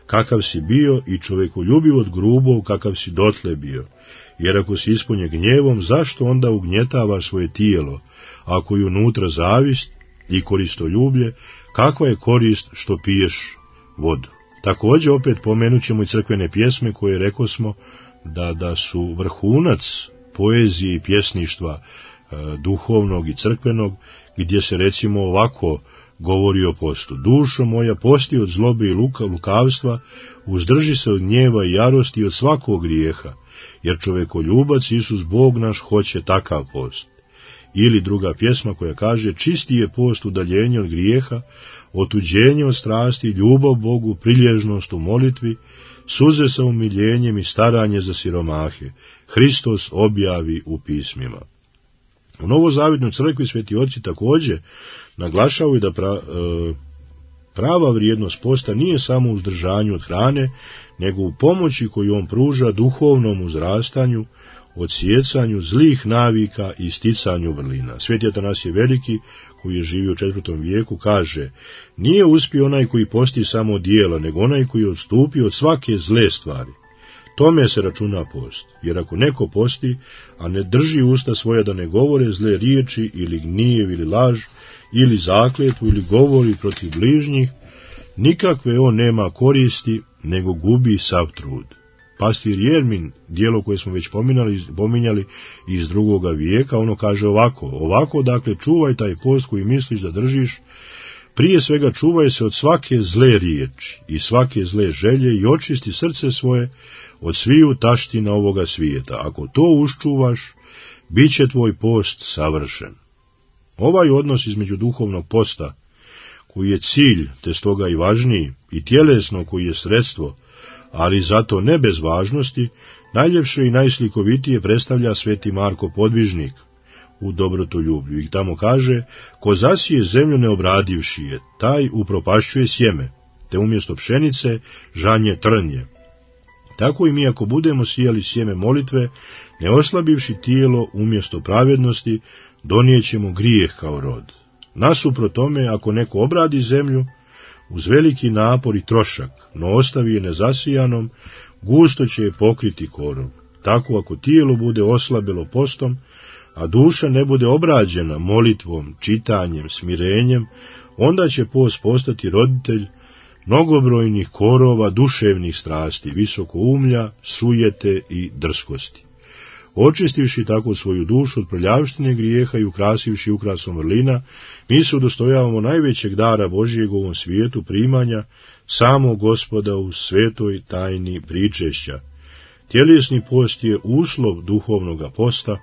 kakav si bio, i čovjekoljubiv od grubog, kakav si dotle bio. Jer ako si ispunjen gnjevom, zašto onda ugnjetava svoje tijelo? Ako je unutra zavist i koristoljublje, kakva je korist što piješ vodu? Također opet pomenut ćemo i crkvene pjesme koje rekosmo da su vrhunac poezije i pjesništva duhovnog i crkvenog, gdje se recimo ovako govori o postu: dušo moja, posti od zlobe i lukavstva, uzdrži se od gnjeva i jarosti i od svakog grijeha, jer čovekoljubac Isus Bog naš hoće takav post. Ili druga pjesma koja kaže: čisti je post udaljenje od grijeha, otuđenje od strasti, ljubav Bogu, prilježnost u molitvi, suze sa umiljenjem i staranje za siromahe. Hristos objavi u pismima. U Novozavjetnoj crkvi sveti oci također naglašavaju da prava vrijednost posta nije samo u uzdržanju od hrane, nego u pomoći koju on pruža duhovnom uzrastanju, odsjecanju zlih navika i sticanju vrlina. Sveti Atanasije Veliki, koji je živio u 4. vijeku, kaže: nije uspio onaj koji posti samo od dijela, nego onaj koji je odstupio od svake zle stvari. Tome se računa post, jer ako neko posti, a ne drži usta svoja da ne govore zle riječi ili gnjev ili laž, ili zakletvu ili govori protiv bližnjih, nikakve on nema koristi, nego gubi sav trud. pastir Jermin, dijelo koje smo već pominjali iz 2. vijeka, ono kaže ovako, dakle, čuvaj taj post koji misliš da držiš, prije svega čuvaj se od svake zle riječi i svake zle želje i očisti srce svoje od sviju taština ovoga svijeta. Ako to uščuvaš, bit će tvoj post savršen. Ovaj odnos između duhovnog posta, koji je cilj, te stoga i važniji, i tjelesno koji je sredstvo, ali zato ne bez važnosti, najljepše i najslikovitije predstavlja sveti Marko Podvižnik u Dobrotoljublju. I tamo kaže, ko zasije zemlju neobradivši je, taj upropašćuje sjeme, te umjesto pšenice žanje trnje. Tako i mi ako budemo sijali sjeme molitve, ne oslabivši tijelo umjesto pravednosti, donijećemo grijeh kao rod. Nasuprot tome, ako neko obradi zemlju, uz veliki napor i trošak, no ostavi je nezasijanom, gusto će je pokriti korov. Tako ako tijelo bude oslabelo postom, a duša ne bude obrađena molitvom, čitanjem, smirenjem, onda će post postati roditelj mnogobrojnih korova duševnih strasti, visokoumlja, sujete i drskosti. Očistivši tako svoju dušu od prljavštine grijeha i ukrasivši ukrasom vrlina, mi se udostojavamo najvećeg dara Božijeg u ovom svijetu, primanja samog Gospoda u svetoj tajni pričešća. Tjelesni post je uslov duhovnoga posta,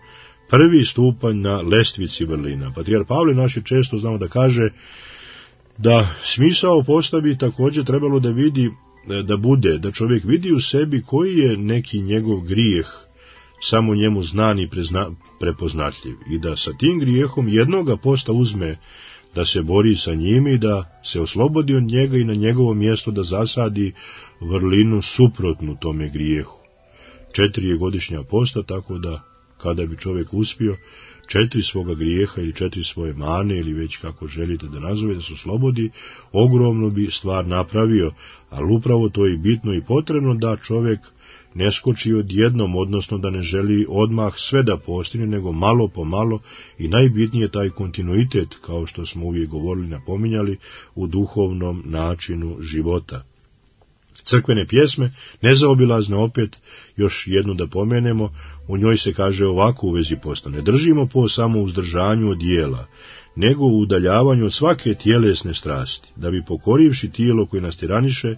prvi stupanj na lestvici vrlina. Patrijar Pavle naši često znamo da kaže da smisao posta bi također trebalo da čovjek vidi u sebi koji je neki njegov grijeh, samo njemu znan i prepoznatljiv, i da sa tim grijehom jednoga posta uzme da se bori sa njim i da se oslobodi od njega i na njegovo mjesto da zasadi vrlinu suprotnu tome grijehu. 4 je godišnja posta, tako da kada bi čovjek uspio 4 svoga grijeha ili 4 svoje mane ili već kako želite da nazove, da se oslobodi, ogromno bi stvar napravio, ali upravo to je bitno i potrebno da čovjek ne skoči odjednom, odnosno da ne želi odmah sve da postigne, nego malo po malo, i najbitnije taj kontinuitet, kao što smo uvijek govorili, napominjali, u duhovnom načinu života. Crkvene pjesme, nezaobilazne, opet još jednu da pomenemo, u njoj se kaže ovako u vezi posta: ne držimo post samo u uzdržanju od dijela, nego u udaljavanju od svake tjelesne strasti, da bi pokorivši tijelo koje nas tiraniše,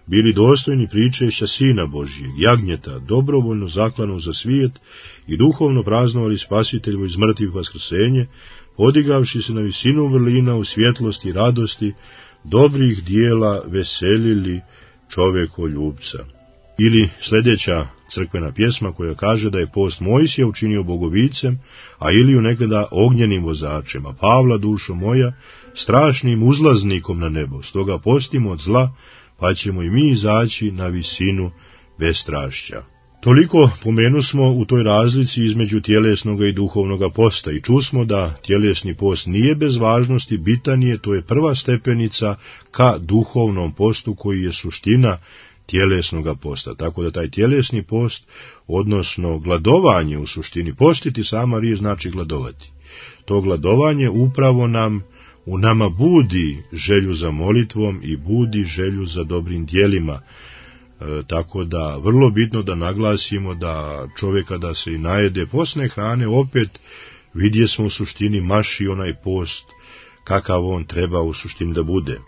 bili dostojni pričešća Sina Božijeg, jagnjeta, dobrovoljno zaklano za svijet, i duhovno praznovali Spasitelju iz mrtvih vaskrsenje, podigavši se na visinu vrlina u svjetlosti i radosti, dobrih dijela veselili čovjekoljubca. Ili sljedeća crkvena pjesma koja kaže da je post Mojsija učinio bogovicem, a Iliju nekada ognjenim vozačem, a Pavla, dušo moja, strašnim uzlaznikom na nebo. Stoga postimo od zla, pa ćemo i mi izaći na visinu bestrašća. Toliko pomenusmo u toj razlici između tjelesnoga i duhovnoga posta, i čusmo da tjelesni post nije bez važnosti, bitan je, to je prva stepenica ka duhovnom postu koji je suština tjelesnoga posta. Tako da taj tjelesni post, odnosno gladovanje u suštini, postiti sama riječ znači gladovati. To gladovanje upravo u nama budi želju za molitvom i budi želju za dobrim djelima. Tako da vrlo bitno da naglasimo da čovjek kada se i najede postne hrane, opet vidje smo u suštini maši onaj post kakav on treba u suštini da bude.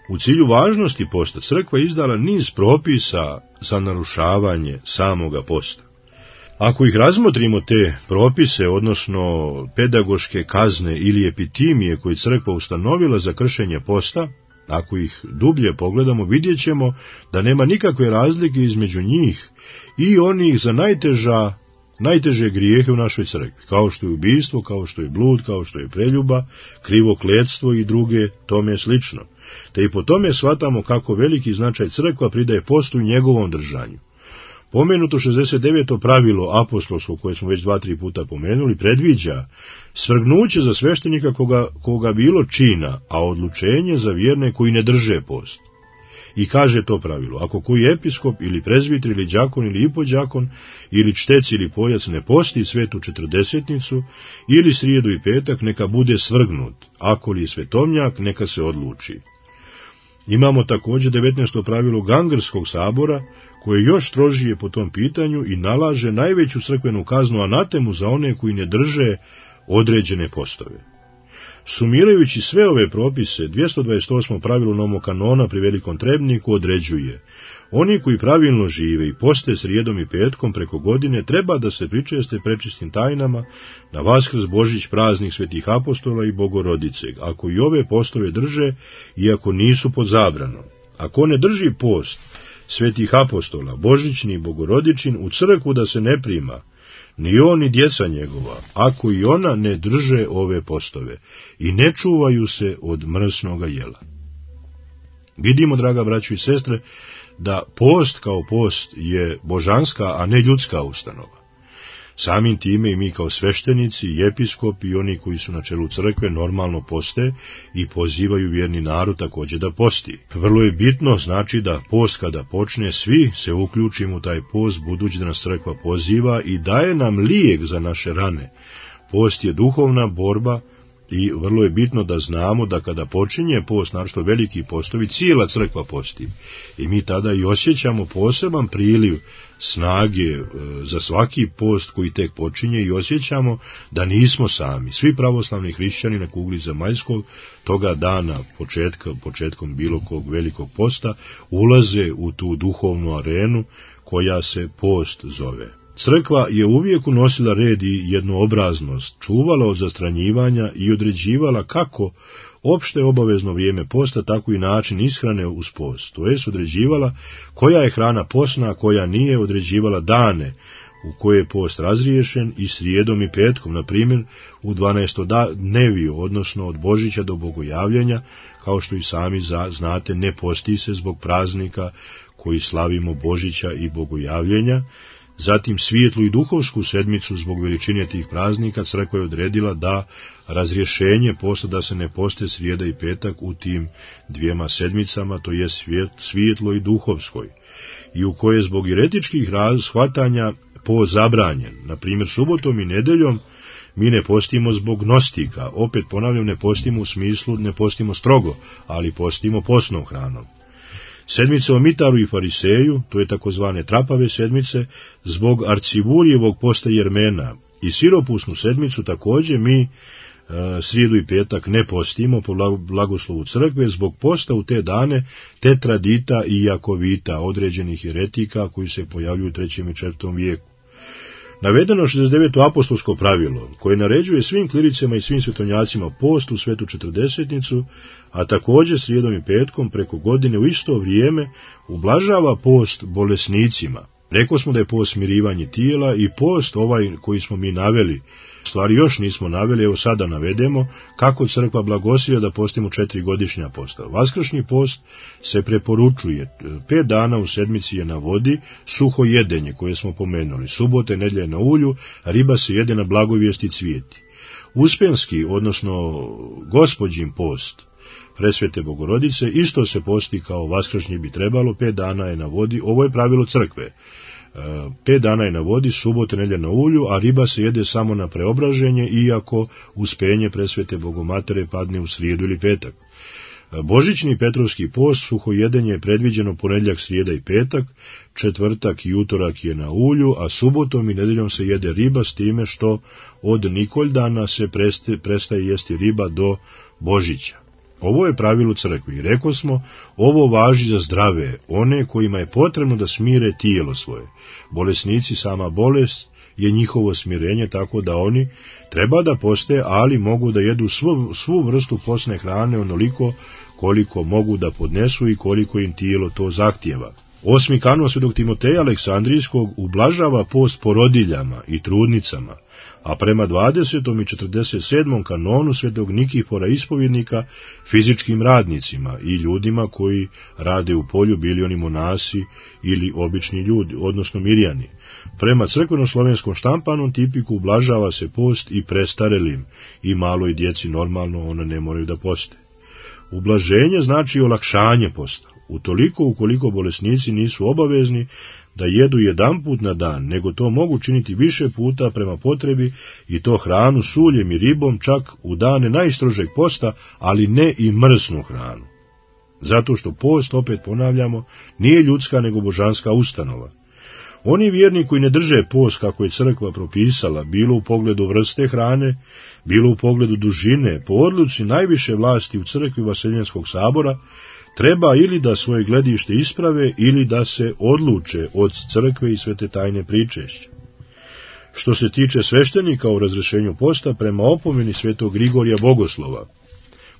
U cilju važnosti posta crkva izdala niz propisa za narušavanje samoga posta. Ako ih razmotrimo te propise, odnosno pedagoške kazne ili epitimije koje crkva ustanovila za kršenje posta, ako ih dublje pogledamo, vidjet ćemo da nema nikakve razlike između njih i onih za najteže grijehe u našoj crkvi, kao što je ubijstvo, kao što je blud, kao što je preljuba, krivokletstvo i druge tome slično. Te i po tome shvatamo kako veliki značaj crkva pridaje postu i njegovom držanju. Pomenuto 69. pravilo apostolsko, koje smo već 2-3 puta pomenuli, predviđa svrgnuće za sveštenika koga bilo čina, a odlučenje za vjerne koji ne drže post. I kaže to pravilo: ako koji episkop ili prezbiter ili đakon ili ipodđakon ili čtec ili pojac ne posti svetu četrdesetnicu ili srijedu i petak, neka bude svrgnut, ako li je svetovnjak, neka se odluči. Imamo također 19. pravilo Gangerskog sabora, koje još strožije po tom pitanju i nalaže najveću crkvenu kaznu anatemu za one koji ne drže određene postove. Sumirajući sve ove propise, 228. pravilo Nomokanona pri Velikom Trebniku određuje: oni koji pravilno žive i poste srijedom i petkom preko godine treba da se pričeste prečistim tajnama na Vaskrs, Božić, praznik Svetih apostola i Bogorodice, ako i ove postove drže, iako nisu pod zabranom. Ako ne drži post Svetih apostola, Božićni i Bogorodičin, u crkvu da se ne prima, ni on ni djeca njegova, ako i ona ne drže ove postove i ne čuvaju se od mrsnoga jela. Vidimo, draga braćo i sestre, da post kao post je božanska, a ne ljudska ustanova. Samim time i mi kao sveštenici, i episkopi i oni koji su na čelu crkve normalno poste i pozivaju vjerni narod također da posti. Vrlo je bitno, znači, da post kada počne, svi se uključimo u taj post, budući da nas crkva poziva i daje nam lijek za naše rane. Post je duhovna borba i vrlo je bitno da znamo da kada počinje post, naročito veliki postovi, cijela crkva posti. I mi tada i osjećamo poseban priliv snage za svaki post koji tek počinje i osjećamo da sami. Svi pravoslavni hrišćani na kugli zemaljskog toga dana, početkom bilo kog velikog posta, ulaze u tu duhovnu arenu koja se post zove. Crkva je uvijek unosila red i jednoobraznost, čuvala od zastranjivanja i određivala kako opšte obavezno vrijeme posta, tako i način ishrane uz post. To jest određivala koja je hrana postna, a koja nije, određivala dane u koje je post razriješen i srijedom i petkom, na primjer u 12. dneviju, odnosno od Božića do Bogojavljenja, kao što i sami znate, ne posti se zbog praznika koji slavimo Božića i Bogojavljenja. Zatim svijetlu i duhovsku sedmicu zbog veličine tih praznika crkva je odredila da razrješenje posta da se ne poste srijeda i petak u tim dvijema sedmicama, to je svijetlo i duhovskoj, i u koje zbog jeretičkih shvatanja post zabranjen. Na primjer, subotom i nedeljom mi ne postimo zbog gnostika, opet ponavljam, ne postimo u smislu, ne postimo strogo, ali postimo postnom hranom. Sedmice o Mitaru i Fariseju, to je takozvane trapave sedmice, zbog Arcivurijevog posta Jermena, i siropusnu sedmicu također mi srijedu i petak ne postimo po blagoslovu crkve zbog posta u te dane Tetradita i Jakovita, određenih jeretika koji se pojavljuju u 3. i 4. vijeku. Navedeno 69. apostolsko pravilo, koje naređuje svim klericima i svim svetonjacima post u svetu četrdesetnicu, a također srijedom i petkom preko godine u isto vrijeme ublažava post bolesnicima. Rekli smo da je post smirivanje tijela i post ovaj koji smo mi naveli, stvari još nismo naveli, evo sada navedemo, kako crkva blagoslivlja da postimo 4 godišnja posta. Vaskršnji post se preporučuje, 5 dana u sedmici je na vodi, suho jedenje koje smo pomenuli, subote, nedjelje na ulju, riba se jede na blagovijesti cvijeti. Uspenski, odnosno Gospođin post Presvete Bogorodice, isto se posti kao vaskršnji bi trebalo, 5 dana je na vodi, ovo je pravilo crkve. 5 dana je na vodi, subote, nedjelja na ulju, a riba se jede samo na preobraženje, iako uspenje Presvete Bogomatere padne u srijedu ili petak. Božićni Petrovski post, suhojedenje je predviđeno ponedjeljak, srijeda i petak, četvrtak i utorak je na ulju, a subotom i nedjeljom se jede riba, s time što od Nikoldana se prestaje jesti riba do Božića. Ovo je pravilo crkvi i rekli smo, ovo važi za zdrave, one kojima je potrebno da smire tijelo svoje. Bolesnici, sama bolest je njihovo smirenje, tako da oni treba da poste, ali mogu da jedu svu vrstu postne hrane onoliko koliko mogu da podnesu i koliko im tijelo to zahtijeva. 8. kanon svetog Timoteja Aleksandrijskog ublažava post porodiljama i trudnicama, a prema 20. i 47. kanonu svetog Nikifora ispovjednika fizičkim radnicima i ljudima koji rade u polju, bili oni monasi ili obični ljudi, odnosno mirjani. Prema crkveno-slovenskom štampanom tipiku ublažava se post i prestarelim i maloj djeci, normalno one ne moraju da poste. Ublaženje znači olakšanje posta, utoliko ukoliko bolesnici nisu obavezni da jedu jedanput na dan, nego to mogu činiti više puta prema potrebi i to hranu s uljem i ribom čak u dane najstrožeg posta, ali ne i mrsnu hranu. Zato što post, opet ponavljamo, nije ljudska nego božanska ustanova. Oni vjerni koji ne drže post kako je crkva propisala, bilo u pogledu vrste hrane, bilo u pogledu dužine, po odluci najviše vlasti u crkvi Vaseljenskog sabora, treba ili da svoje gledište isprave ili da se odluče od crkve i svete tajne pričešća. Što se tiče sveštenika u razrešenju posta, prema opomeni svetog Grigorija Bogoslova,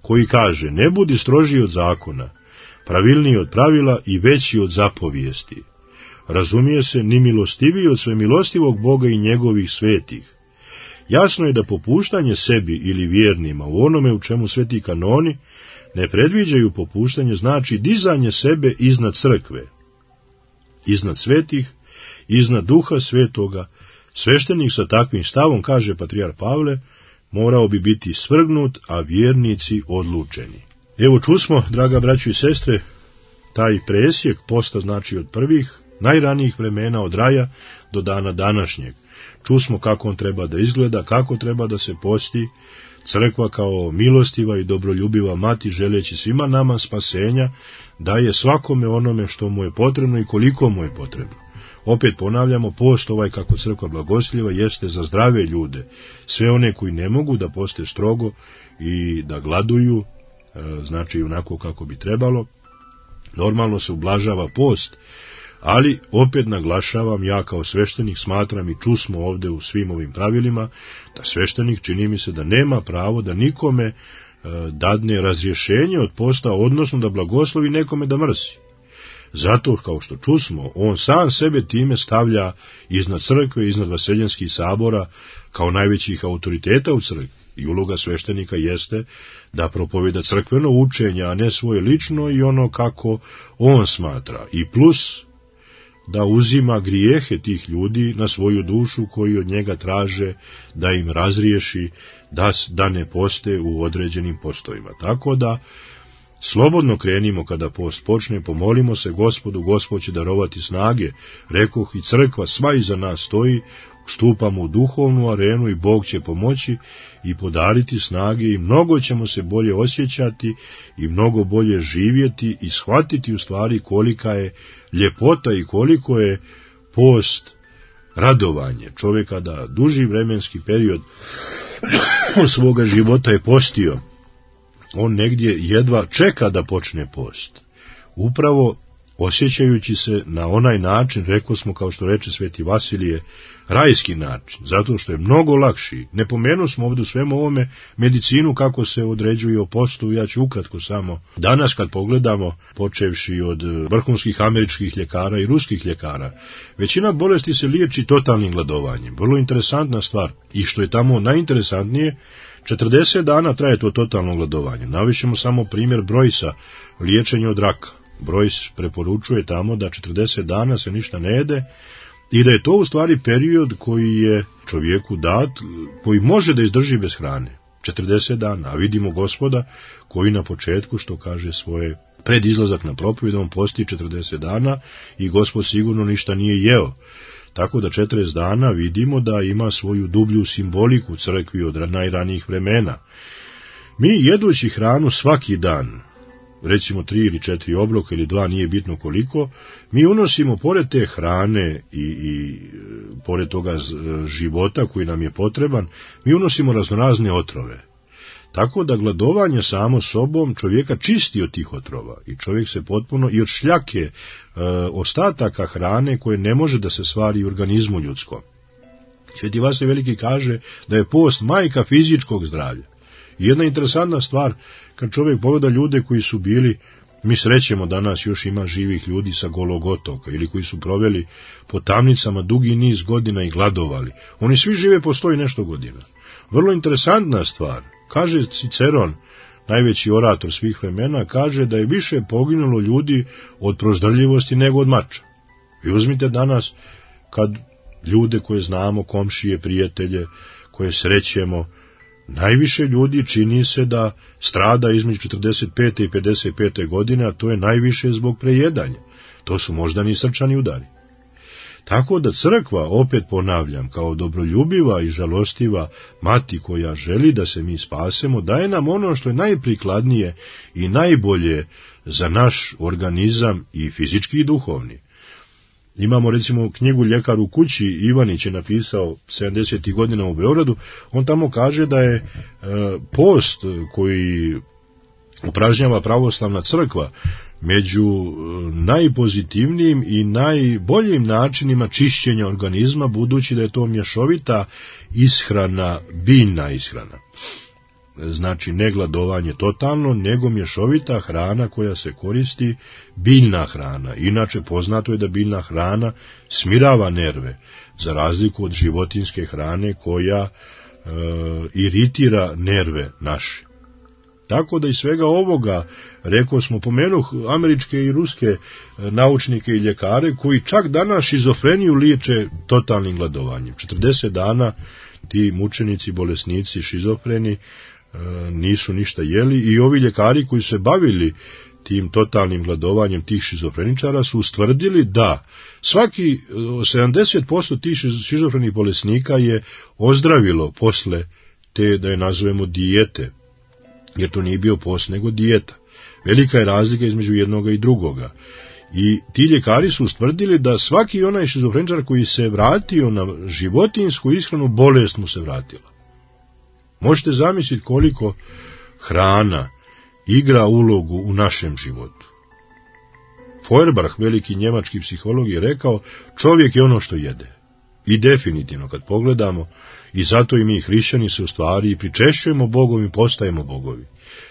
koji kaže: ne budi strožiji od zakona, pravilniji od pravila i veći od zapovijesti. Razumije se, ni milostiviji od svemilostivog Boga i njegovih svetih. Jasno je da popuštanje sebi ili vjernima u onome u čemu sveti kanoni ne predviđaju popuštanje, znači dizanje sebe iznad crkve, iznad svetih, iznad duha svetoga. Sveštenik sa takvim stavom, kaže patrijar Pavle, morao bi biti svrgnut, a vjernici odlučeni. Evo čusmo, draga braćo i sestre, taj presjek posta, znači od prvih, najranijih vremena, od raja do dana današnjeg. Čusmo kako on treba da izgleda, kako treba da se posti. Crkva kao milostiva i dobroljubiva mati, želeći svima nama spasenja, daje svakome onome što mu je potrebno i koliko mu je potrebno. Opet ponavljamo, post ovaj kako crkva blagosljiva jeste za zdrave ljude, sve one koji ne mogu da poste strogo i da gladuju, znači onako kako bi trebalo. Normalno se ublažava post, ali opet naglašavam, ja kao sveštenik smatram i čusmo ovde u svim ovim pravilima, da sveštenik, čini mi se, da nema pravo da nikome dadne razrješenje od posta, odnosno da blagoslovi nekome da mrsi. Zato, kao što čusmo, on sam sebe time stavlja iznad crkve, iznad Vaseljenskih sabora, kao najvećih autoriteta u crkvi. I uloga sveštenika jeste da propoveda crkveno učenje, a ne svoje lično i ono kako on smatra. I plus da uzima grijehe tih ljudi na svoju dušu koji od njega traže da im razriješi, da ne poste u određenim postovima. Tako da slobodno krenimo kada post počne, pomolimo se Gospodu, Gospod će darovati snage, rekoh i crkva sva iza nas stoji, stupamo u duhovnu arenu i Bog će pomoći i podariti snage i mnogo ćemo se bolje osjećati i mnogo bolje živjeti i shvatiti u stvari kolika je ljepota i koliko je post radovanje čovjeka da duži vremenski period svoga života je postio. On negdje jedva čeka da počne post. Upravo osjećajući se na onaj način, rekao smo, kao što reče sveti Vasilije, rajski način, zato što je mnogo lakši. Ne pomenu smo ovdje u svemu ovome medicinu kako se određuje o postu, ja ću ukratko samo. Danas kad pogledamo, počevši od vrhunskih američkih ljekara i ruskih ljekara, većina bolesti se liječi totalnim gladovanjem. Vrlo interesantna stvar. I što je tamo najinteresantnije, 40 dana traje to totalno gladovanje. Navišemo samo primjer Brojsa, liječenje od raka. Brojs preporučuje tamo da 40 dana se ništa ne jede i da je to u stvari period koji je čovjeku dat, koji može da izdrži bez hrane. 40 dana, a vidimo Gospoda koji na početku, što kaže svoje pred izlazak na propovijed, on posti 40 dana i Gospod sigurno ništa nije jeo. Tako da 40 dana vidimo da ima svoju dublju simboliku crkvi od najranijih vremena. Mi jedući hranu svaki dan, recimo 3 ili 4 obroka ili 2, nije bitno koliko, mi unosimo pored te hrane i pored toga života koji nam je potreban, mi unosimo raznorazne otrove. Tako da gladovanje samo sobom čovjeka čisti od tih otrova i čovjek se potpuno i od šljake ostataka hrane koje ne može da se stvari u organizmu ljudskom. Sveti Vasilije Veliki kaže da je post majka fizičkog zdravlja. I jedna interesantna stvar, kad čovjek pogleda ljude koji su bili, mi srećemo danas još ima živih ljudi sa Golog otoka ili koji su proveli po tamnicama dugi niz godina i gladovali. Oni svi žive po 100 i nešto godina. Vrlo interesantna stvar. Kaže Ciceron, najveći orator svih vremena, kaže da je više poginulo ljudi od proždrljivosti nego od mača. I uzmite danas, kad ljude koje znamo, komšije, prijatelje, koje srećemo, najviše ljudi čini se da strada između 45. i 55. godine, a to je najviše zbog prejedanja. To su moždani srčani udari. Tako da crkva, opet ponavljam, kao dobroljubiva i žalostiva mati koja želi da se mi spasemo, daje nam ono što je najprikladnije i najbolje za naš organizam i fizički i duhovni. Imamo recimo knjigu Ljekar u kući, Ivanić je napisao 70. godina u Beogradu, on tamo kaže da je post koji upražnjava pravoslavna crkva među najpozitivnijim i najboljim načinima čišćenja organizma, budući da je to mješovita ishrana, biljna ishrana. Znači ne gladovanje totalno, nego mješovita hrana koja se koristi, biljna hrana. Inače poznato je da biljna hrana smirava nerve, za razliku od životinjske hrane koja iritira nerve naše. Tako da iz svega ovoga, rekao smo, pomenuh američke i ruske naučnike i ljekare koji čak danas šizofreniju liječe totalnim gladovanjem. 40 dana ti mučenici, bolesnici, šizofreni nisu ništa jeli i ovi ljekari koji su se bavili tim totalnim gladovanjem tih šizofreničara su ustvrdili da svaki 70% tih šizofrenih bolesnika je ozdravilo posle te, da je nazovemo, dijete, jer to nije bio post nego dijeta. Velika je razlika između jednoga i drugoga. I ti ljekari su ustvrdili da svaki onaj šizofreničar koji se vratio na životinjsku ishranu, bolest mu se vratila. Možete zamisliti koliko hrana igra ulogu u našem životu. Feuerbach, veliki njemački psiholog, je rekao, čovjek je ono što jede. I definitivno, kad pogledamo, i zato i mi hrišćani se u stvari pričešćujemo Bogom i postajemo bogovi.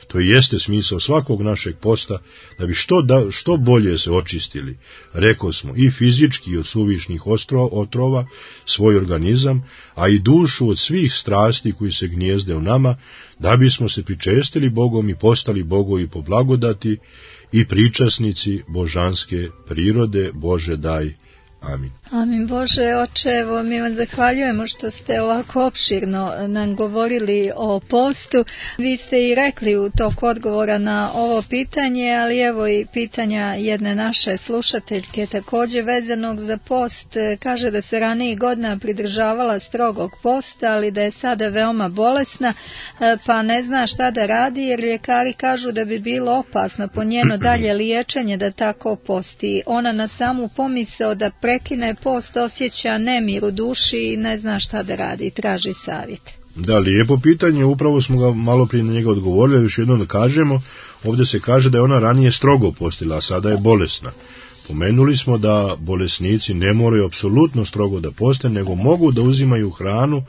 To i jeste smisao svakog našeg posta, da bi što bolje se očistili, rekao smo, i fizički od suvišnih otrova, svoj organizam, a i dušu od svih strasti koji se gnijezde u nama, da bismo se pričestili Bogom i postali bogovi po blagodati i pričasnici božanske prirode. Bože daj. Amin. Amin. Bože oče, evo mi vam zahvaljujemo što ste ovako opširno nam govorili o postu. Vi ste i rekli u toku odgovora na ovo pitanje, ali evo i pitanja jedne naše slušateljke također vezanog za post. Kaže da se ranijih godina pridržavala strogog posta, ali da je sada veoma bolesna, pa ne zna šta da radi, jer ljekari kažu da bi bilo opasno po njeno dalje liječenje da tako posti. Ona na samu pomisao da prekine post osjeća nemir u duši i ne zna šta da radi i traži savjet. Da, lijepo pitanje, upravo smo ga malo prije na njega odgovorili, još jednom da kažemo, ovdje se kaže da je ona ranije strogo postila, a sada je bolesna. Pomenuli smo da bolesnici ne moraju apsolutno strogo da poste, nego mogu da uzimaju hranu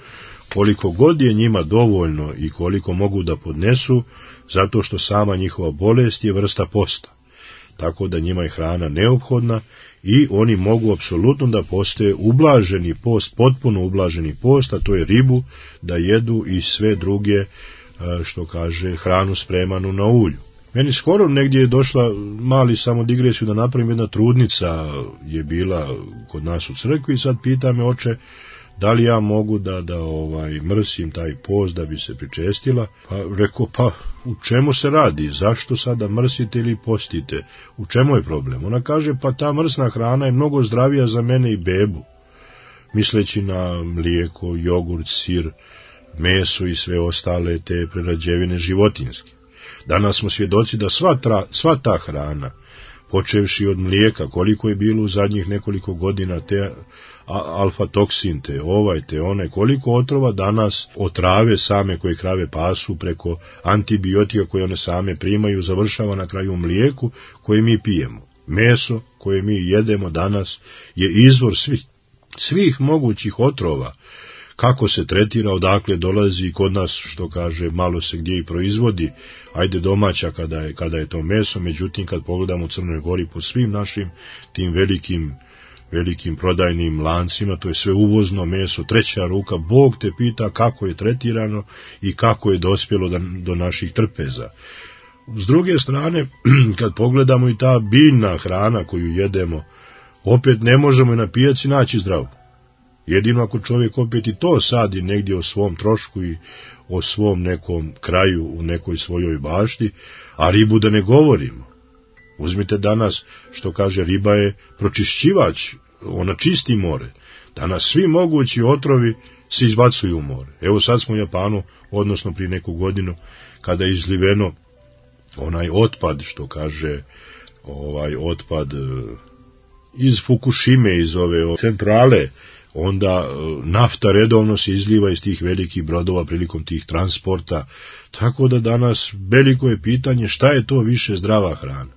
koliko god je njima dovoljno i koliko mogu da podnesu, zato što sama njihova bolest je vrsta posta. Tako da njima je hrana neophodna i oni mogu apsolutno da poste ublaženi post, potpuno ublaženi post, a to je ribu, da jedu i sve druge, što kaže, hranu spremanu na ulju. Meni skoro negdje je došla, mali samo digresiju da napravim, jedna trudnica je bila kod nas u crkvi i sad pita me, oče, da li ja mogu da mrsim taj post da bi se pričestila? Pa rekao, pa u čemu se radi? Zašto sada mrsite ili postite? U čemu je problem? Ona kaže, pa ta mrsna hrana je mnogo zdravija za mene i bebu. Misleći na mlijeko, jogurt, sir, meso i sve ostale te prerađevine životinjske. Danas smo svjedoci da sva ta hrana, počevši od mlijeka, koliko je bilo u zadnjih nekoliko godina, te alfa-toksin, te one, koliko otrova danas otrave same koje krave pasu preko antibiotika koje one same primaju, završava na kraju u mlijeku koje mi pijemo. Meso koje mi jedemo danas je izvor svih mogućih otrova. Kako se tretira, odakle dolazi, kod nas, što kaže, malo se gdje i proizvodi, ajde domaća kada je to meso, međutim kad pogledamo u Crnoj Gori po svim našim tim velikim prodajnim lancima, to je sve uvozno meso, treća ruka, Bog te pita kako je tretirano i kako je dospjelo do naših trpeza. S druge strane, kad pogledamo i ta biljna hrana koju jedemo, opet ne možemo na pijaci naći zdravu. Jedino ako čovjek opet i to sadi negdje o svom trošku i o svom nekom kraju, u nekoj svojoj bašti, a ribu da ne govorimo. Uzmite danas, što kaže, riba je pročišćivač ona čisti more. Danas svi mogući otrovi se izbacuju u more. Evo sad smo u Japanu, odnosno prije neku godinu, kada je izliveno onaj otpad, što kaže otpad iz Fukushime, iz ove centrale, onda nafta redovno se izliva iz tih velikih brodova prilikom tih transporta, tako da danas veliko je pitanje šta je to više zdrava hrana,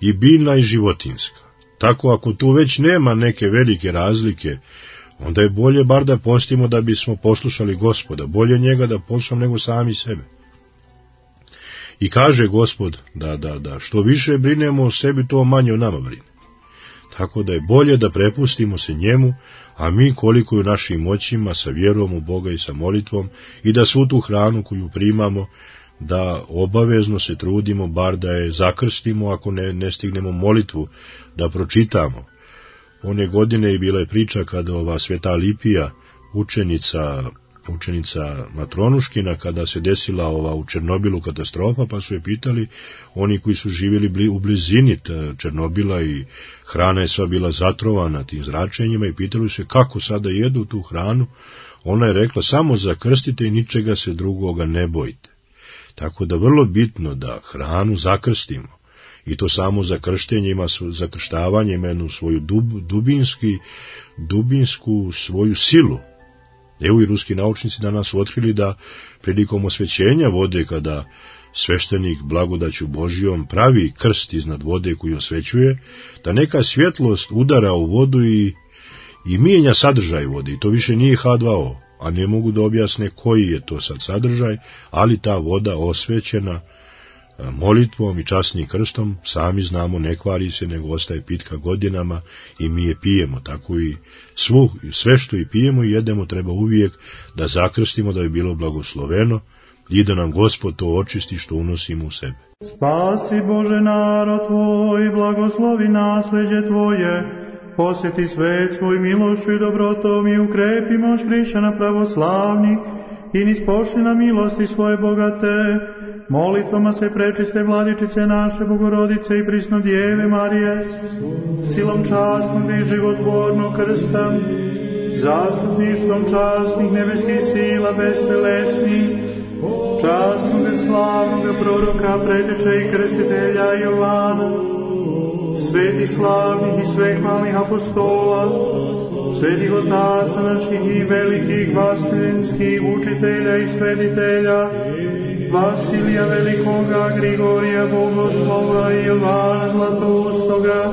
i biljna i životinjska. Tako ako tu već nema neke velike razlike, onda je bolje bar da postimo da bismo poslušali Gospoda, bolje njega da poslušamo nego sami sebe. I kaže Gospod da što više brinemo o sebi, to manje o nama brine. Tako da je bolje da prepustimo se njemu, a mi koliko je u našim moćima sa vjerom u Boga i sa molitvom, i da svu tu hranu koju primamo, da obavezno se trudimo bar da je zakrstimo, ako ne stignemo molitvu da pročitamo. One godine je bila priča kada ova Sveta Lipija, učenica Matronuškina, kada se desila u Černobilu katastrofa, pa su je pitali oni koji su živjeli u blizini Černobila i hrana je sva bila zatrovana tim zračenjima, i pitali se kako sada jedu tu hranu. Ona je rekla samo zakrstite i ničega se drugoga ne bojite. Tako da vrlo bitno da hranu zakrstimo, i to samo zakrštenje zakrštavanje ima jednu svoju dubinsku svoju silu. Evo i ruski naučnici danas su otkrili da prilikom osvećenja vode, kada sveštenik blagodaću Božijom pravi krst iznad vode koju osvećuje, da neka svjetlost udara u vodu i mijenja sadržaj vode, i to više nije H2O, a ne mogu da objasne koji je to sad sadržaj, ali ta voda osvećena molitvom i časnim krstom, sami znamo, ne kvari se, nego ostaje pitka godinama i mi je pijemo. Tako i sve što i pijemo i jedemo treba uvijek da zakrstimo, da je bilo blagosloveno i da nam Gospod to očisti što unosimo u sebe. Spasi Bože narod Tvoj, blagoslovi nasljeđe Tvoje, posjeti svet svoj milošću i dobrotom i ukrepi moć hrišćana pravoslavnih i nispošli na milosti svoje bogate. Molitvama se prečiste Vladičice naše Bogorodice i prisno Djeve Marije, silom častnog i životvornog krsta, zastupništvom časnih nebeskih sila bestelesnih, časnog slavnog proroka, preteče i krstitelja Jovana, svetih slavnih i svehvalnih apostola, svetih otaca naših i velikih vaseljenskih učitelja i svetitelja, Vasilija Velikoga, Grigorija Bogoslova i Jovana Zlatoustoga,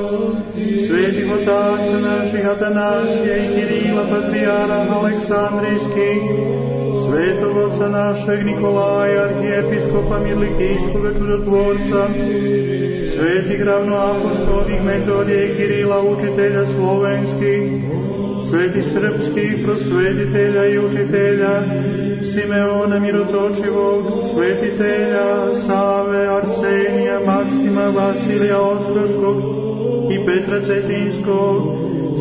svetih otaca naših Atanasija i Kirila Patrijara Aleksandrijskih, svetog oca našeg Nikolaja, arhijepiskopa Mirlikijskoga čudotvorca, svetih ravnoapostolnih Metodija i Kirila, učitelja slovenskih, svetih srpskih prosvetitelja i učitelja, Simeona Mirotočivog, svetitelja Save, Arsenija, Maksima, Vasilija Ostroškog i Petra Cetinskog,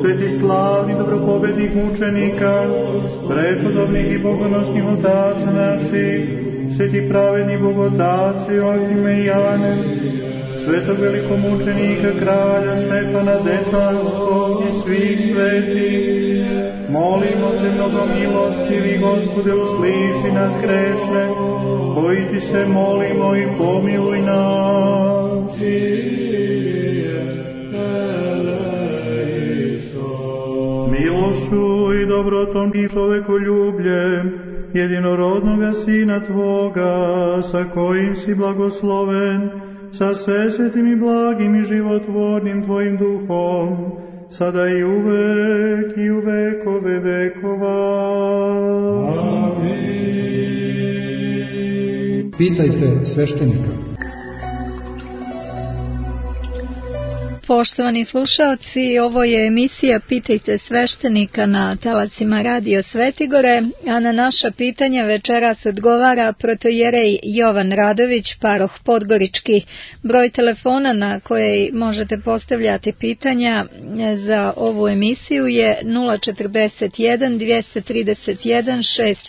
svetih slavnih dobropobednih mučenika, prepodobnih i bogonosnih otaca naših, svetih pravednih bogotaca Joakime i Jane, svetog velikomučenika kralja Stefana Dečanskog i svih svetih. Molimo te, mnogo milostivi Gospode, usliši nas grešne, koji ti se molimo, i pomiluj nas. Milošću i dobrotom i čovekoljubljem jedinorodnoga Sina Tvoga, sa kojim si blagosloven, sa svesvetim i blagim i životvornim Tvojim duhom, sada i uvek i u vekove vekova. Amin. Pitajte sveštenika. Poštovani slušaoci, ovo je emisija Pitajte sveštenika na talasima Radio Svetigore, a na naša pitanja večeras odgovara protojerej Jovan Radović, paroh Podgorički. Broj telefona na koji možete postavljati pitanja za ovu emisiju je 041 231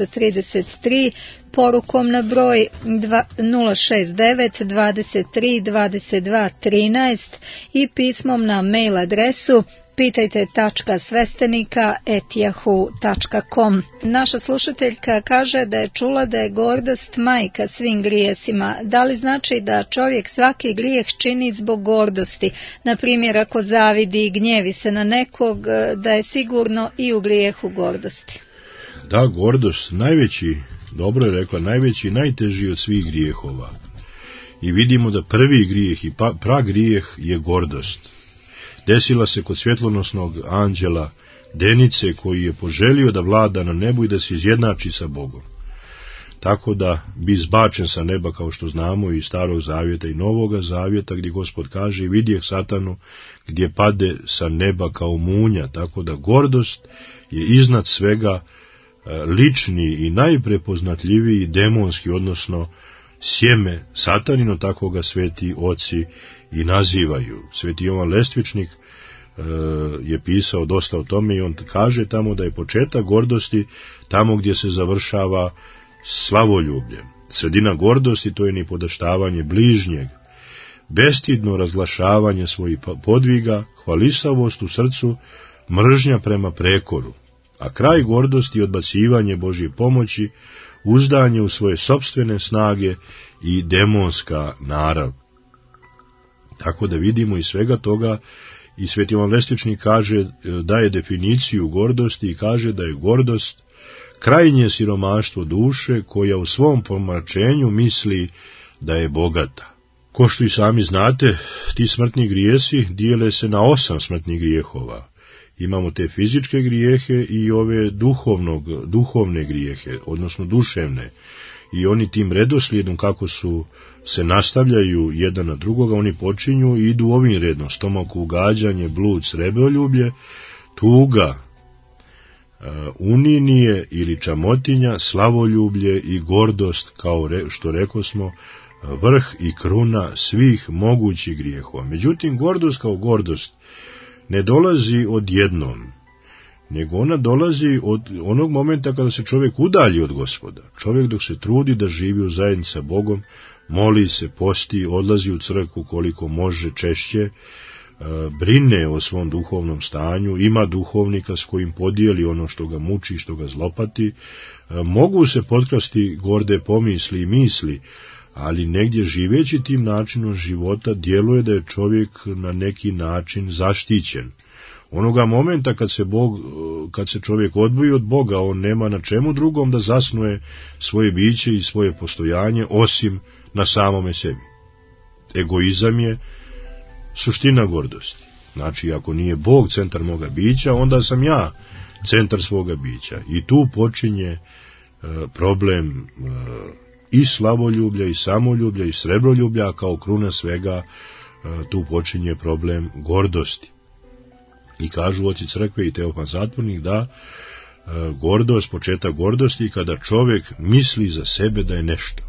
633, porukom na broj 069 23 22 13 i pismom na mail adresu pitajte.svestenika@yahoo.com. Naša slušateljka kaže da je čula da je gordost majka svim grijesima. Da li znači da čovjek svaki grijeh čini zbog gordosti? Na primjer, ako zavidi i gnjevi se na nekog, da je sigurno i u grijehu gordosti. Da, gordost, najveći, dobro je rekla, najveći i najteži od svih grijehova. I vidimo da prvi grijeh i pragrijeh je gordost. Desila se kod svjetlonosnog anđela Denice, koji je poželio da vlada na nebu i da se izjednači sa Bogom. Tako da bi izbačen sa neba, kao što znamo iz Starog zavjeta i Novoga zavjeta, gdje Gospod kaže: vidjeh Satanu gdje pade sa neba kao munja. Tako da gordost je iznad svega lični i najprepoznatljiviji demonski, odnosno sjeme Satanino, tako ga sveti oci i nazivaju. Sveti Jovan Lestvičnik je pisao dosta o tome i on kaže tamo da je početak gordosti tamo gdje se završava slavoljubljem. Sredina gordosti, to je nipodaštavanje bližnjeg, bestidno razglašavanje svojih podviga, hvalisavost u srcu, mržnja prema prekoru. A kraj gordosti je odbacivanje Božje pomoći, uzdanje u svoje sopstvene snage i demonska narav. Tako da vidimo iz svega toga, i Sveti Jovan Lestvičnik kaže, daje definiciju gordosti i kaže da je gordost krajnje siromaštvo duše koja u svom pomračenju misli da je bogata. Ko što i sami znate, ti smrtni grijesi dijele se na 8 smrtnih grijehova. Imamo te fizičke grijehe i ove duhovne grijehe, odnosno duševne. I oni tim redoslijedom kako se nastavljaju jedan na drugoga, oni počinju i idu ovim redom: stomakugađanje, blud, srebroljublje, tuga, uninije ili čamotinja, slavoljublje i gordost, kao što rekosmo, vrh i kruna svih mogućih grijehova. Međutim, gordost kao gordost ne dolazi odjednom, nego ona dolazi od onog momenta kada se čovjek udalji od Gospoda. Čovjek dok se trudi da živi u zajednici sa Bogom, moli se, posti, odlazi u crkvu koliko može češće, brine o svom duhovnom stanju, ima duhovnika s kojim podijeli ono što ga muči, što ga zlopati, mogu se potkrasti gorde pomisli i misli, ali negdje živeći tim načinom života djeluje da je čovjek na neki način zaštićen. Onoga momenta kad se čovjek odvoji od Boga, on nema na čemu drugom da zasnuje svoje biće i svoje postojanje osim na samome sebi. Egoizam je suština gordosti. Znači, ako nije Bog centar moga bića, onda sam ja centar svoga bića. I tu počinje problem i slavoljublja, i samoljublja, i srebroljublja, a kao kruna svega tu počinje problem gordosti. I kažu oci crkve i Teofan Zatvornik da gordost, početak gordosti, kada čovjek misli za sebe da je nešto,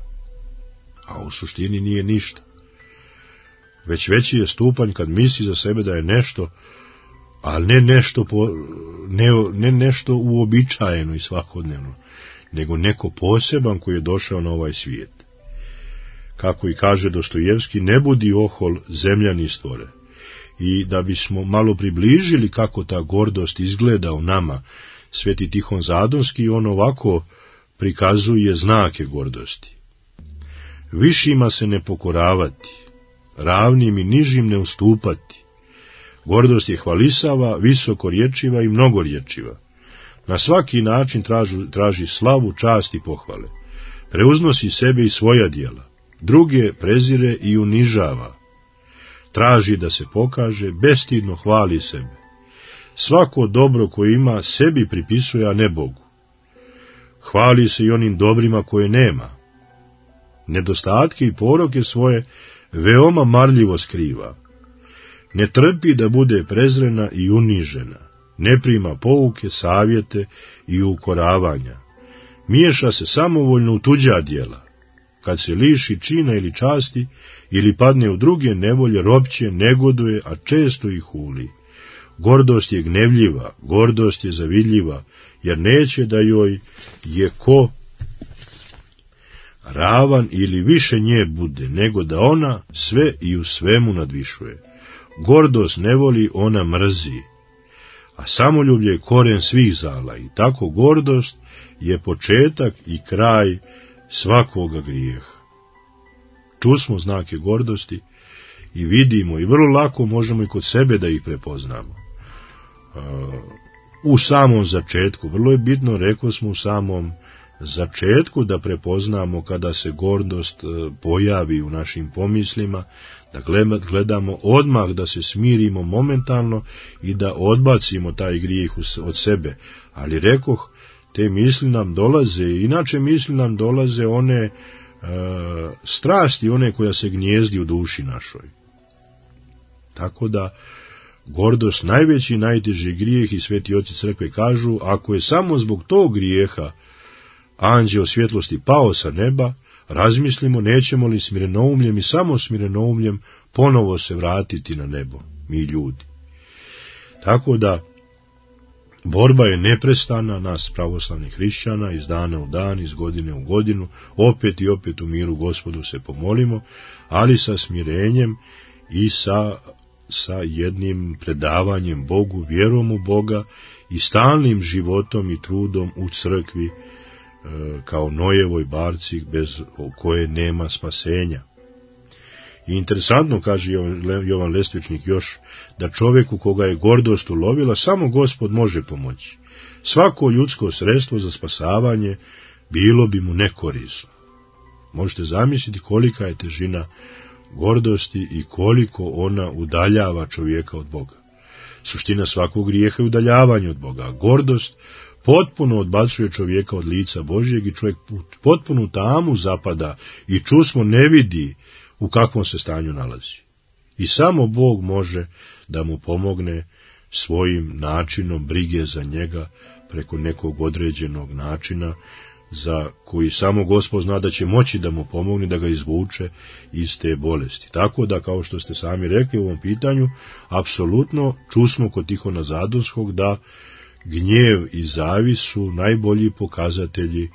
a u suštini nije ništa. Već veći je stupanj kad misli za sebe da je nešto, ali ne nešto uobičajeno i svakodnevno, nego neko poseban koji je došao na ovaj svijet. Kako i kaže Dostojevski, ne budi ohol zemljani stvore. I da bismo malo približili kako ta gordost izgleda u nama, Sveti Tihon Zadonski on ovako prikazuje znake gordosti. Višima se ne pokoravati, ravnim i nižim ne ustupati. Gordost je hvalisava, visokorječiva i mnogorječiva. Na svaki način traži slavu, čast i pohvale. Preuznosi sebe i svoja djela, druge prezire i unižava. Traži da se pokaže, bestidno hvali sebe. Svako dobro koje ima sebi pripisuje, a ne Bogu. Hvali se i onim dobrima koje nema. Nedostatke i poroke svoje veoma marljivo skriva. Ne trpi da bude prezrena i unižena. Ne prima pouke, savjete i ukoravanja. Miješa se samovoljno u tuđa djela. Kad se liši čina ili časti, ili padne u druge nevolje, ropće, negoduje, a često ih huli. Gordost je gnevljiva, gordost je zavidljiva, jer neće da joj je ko ravan ili više nje bude, nego da ona sve i u svemu nadvišuje. Gordost ne voli, ona mrzi. a samoljublje je koren svih zala i tako gordost je početak i kraj svakoga grijeha. Čusmo znake gordosti i vidimo i vrlo lako možemo i kod sebe da ih prepoznamo. U samom začetku, vrlo je bitno, rekao smo u samom začetku da prepoznamo kada se gordost pojavi u našim pomislima, da gledamo odmah da se smirimo momentalno i da odbacimo taj grijeh od sebe. Ali rekoh, te misli nam dolaze, inače misli nam dolaze one strasti, one koja se gnjezdi u duši našoj. Tako da gordost najveći, najteži grijeh i sveti oci crkve kažu, ako je samo zbog tog grijeha anđeo svjetlosti pao sa neba, razmislimo nećemo li smirenoumljem i samo smirenoumljem ponovo se vratiti na nebo, mi ljudi. Tako da borba je neprestana nas pravoslavnih hrišćana, iz dana u dan, iz godine u godinu, opet i opet u miru Gospodu se pomolimo, ali sa smirenjem i sa jednim predavanjem Bogu, vjerom u Boga i stalnim životom i trudom u crkvi, kao Nojevoj barci bez koje nema spasenja. I interesantno, kaže Jovan Lestvičnik još, da čovjeku koga je gordost ulovila, samo Gospod može pomoći. Svako ljudsko sredstvo za spasavanje bilo bi mu nekorisno. Možete zamisliti kolika je težina gordosti i koliko ona udaljava čovjeka od Boga. Suština svakog grijeha je udaljavanje od Boga. Gordost potpuno odbacuje čovjeka od lica Božjeg i čovjek potpuno tamu zapada i čusmo ne vidi u kakvom se stanju nalazi. I samo Bog može da mu pomogne svojim načinom brige za njega preko nekog određenog načina za koji samo Gospod zna da će moći da mu pomogne da ga izvuče iz te bolesti. Tako da, kao što ste sami rekli u ovom pitanju, apsolutno čusmo kod Tihona Zadonskog da gnjev i zavis su najbolji pokazatelji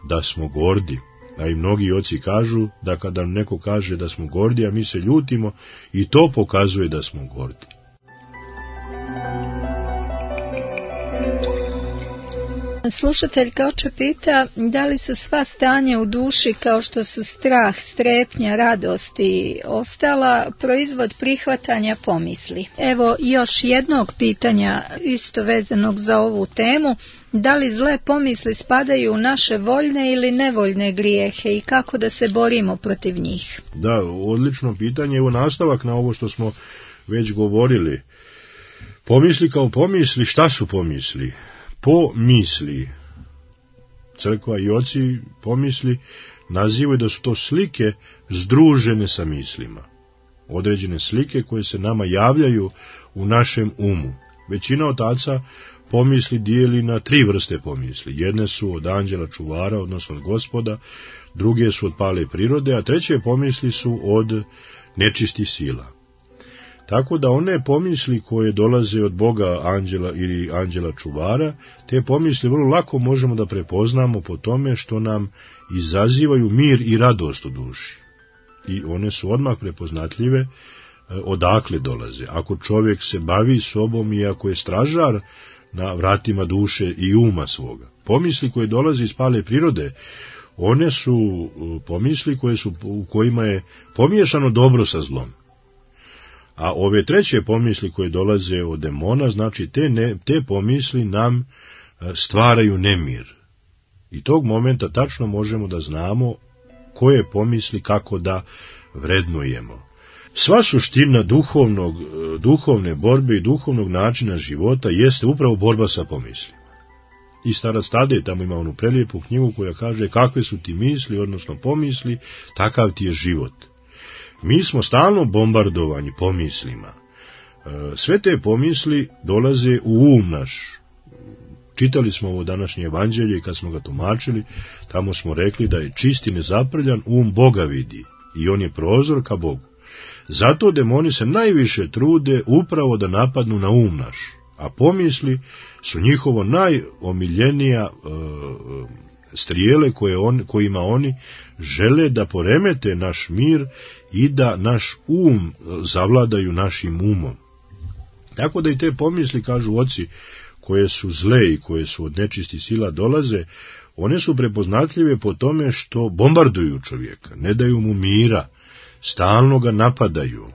da smo gordi. A i mnogi oci kažu da kada neko kaže da smo gordi, a mi se ljutimo, i to pokazuje da smo gordi. Slušateljka oče pita, da li su sva stanja u duši kao što su strah, strepnja, radost i ostala proizvod prihvatanja pomisli. Evo još jednog pitanja isto vezanog za ovu temu. Da li zle pomisli spadaju u naše voljne ili nevoljne grijehe i kako da se borimo protiv njih? Da, odlično pitanje. Evo nastavak na ovo što smo već govorili. Pomisli kao pomisli, šta su pomisli? Pomisli. Crkva i oci pomisli nazivaju da su to slike združene sa mislima. Određene slike koje se nama javljaju u našem umu. Većina otaca pomisli dijeli na 3 vrste pomisli. Jedne su od anđela čuvara, odnosno od Gospoda, druge su od pale prirode, a treće pomisli su od nečistih sila. Tako da one pomisli koje dolaze od Boga anđela ili anđela čuvara, te pomisli vrlo lako možemo da prepoznamo po tome što nam izazivaju mir i radost u duši. I one su odmah prepoznatljive odakle dolaze. Ako čovjek se bavi sobom i ako je stražar na vratima duše i uma svoga. Pomisli koje dolaze iz pale prirode, one su pomisli u kojima je pomiješano dobro sa zlom. A ove treće pomisli koje dolaze od demona, znači te pomisli nam stvaraju nemir. I tog momenta tačno možemo da znamo koje pomisli kako da vrednujemo. Sva suština duhovne borbe i duhovnog načina života jeste upravo borba sa pomislima. I starac Tadej tamo ima onu prelijepu knjigu koja kaže kakve su ti misli, odnosno pomisli, takav ti je život. Mi smo stalno bombardovani pomislima. Sve te pomisli dolaze u um naš. Čitali smo ovo današnje evanđelje i kad smo ga tumačili, tamo smo rekli da je čist i nezaprljan Boga vidi i on je prozor ka Bogu. Zato demoni se najviše trude upravo da napadnu na um naš, a pomisli su njihovo najomiljenija strijele kojima oni žele da poremete naš mir i da naš zavladaju našim umom. Tako da i te pomisli, kažu oci, koje su zle i koje su od nečistih sila dolaze, one su prepoznatljive po tome što bombarduju čovjeka, ne daju mu mira, stalno ga napadaju.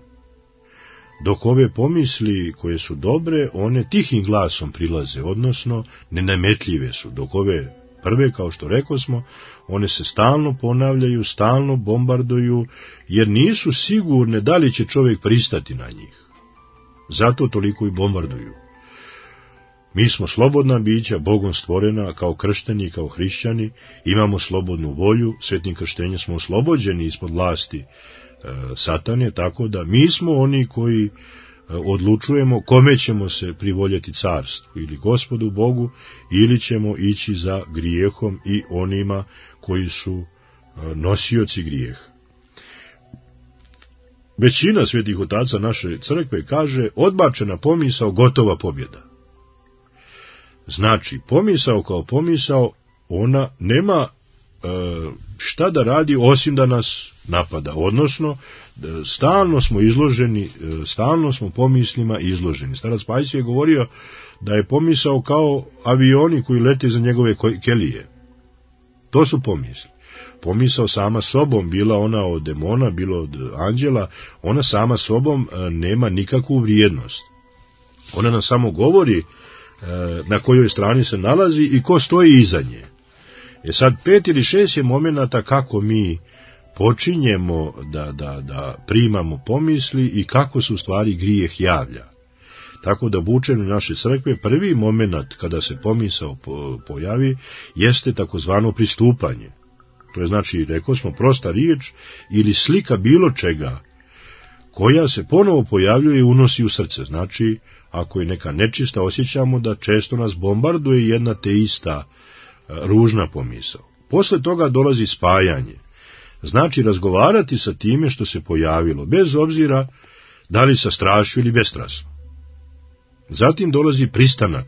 Dok ove pomisli koje su dobre, one tihim glasom prilaze, odnosno nenametljive su, dok ove prve, kao što rekosmo, one se stalno ponavljaju, stalno bombarduju, jer nisu sigurne da li će čovjek pristati na njih. Zato toliko i bombarduju. Mi smo slobodna bića, Bogom stvorena, kao kršteni, kao hrišćani, imamo slobodnu volju, svetim krštenjem smo oslobođeni ispod vlasti satane, tako da mi smo oni koji odlučujemo kome ćemo se privoljeti carstvu, ili Gospodu Bogu, ili ćemo ići za grijehom i onima koji su nosioci grijeha. Većina svetih otaca naše crkve kaže odbačena pomisao, gotova pobjeda. Znači, pomisao kao pomisao, ona nema šta da radi osim da nas napada, odnosno stalno smo izloženi, stalno smo pomislima izloženi. Starac Pajsije je govorio da je pomisao kao avioni koji lete za njegove kelije. To su pomisli. Pomisao sama sobom, bila ona od demona, bilo od anđela, ona sama sobom nema nikakvu vrijednost. Ona nam samo govori na kojoj strani se nalazi i ko stoji iza nje. Sad 5 ili 6 je momenata kako mi počinjemo da primamo pomisli i kako se u stvari grijeh javlja. Tako da u učenju naše crkve prvi moment kada se pomisao pojavi jeste takozvano pristupanje. To je znači, rekao smo, prosta riječ ili slika bilo čega koja se ponovo pojavljuje i unosi u srce. Znači, ako je neka nečista, osjećamo da često nas bombarduje jedna te ista ružna pomisao. Posle toga dolazi spajanje. Znači razgovarati sa time što se pojavilo, bez obzira da li sa strašću ili bestrasno. Zatim dolazi pristanak,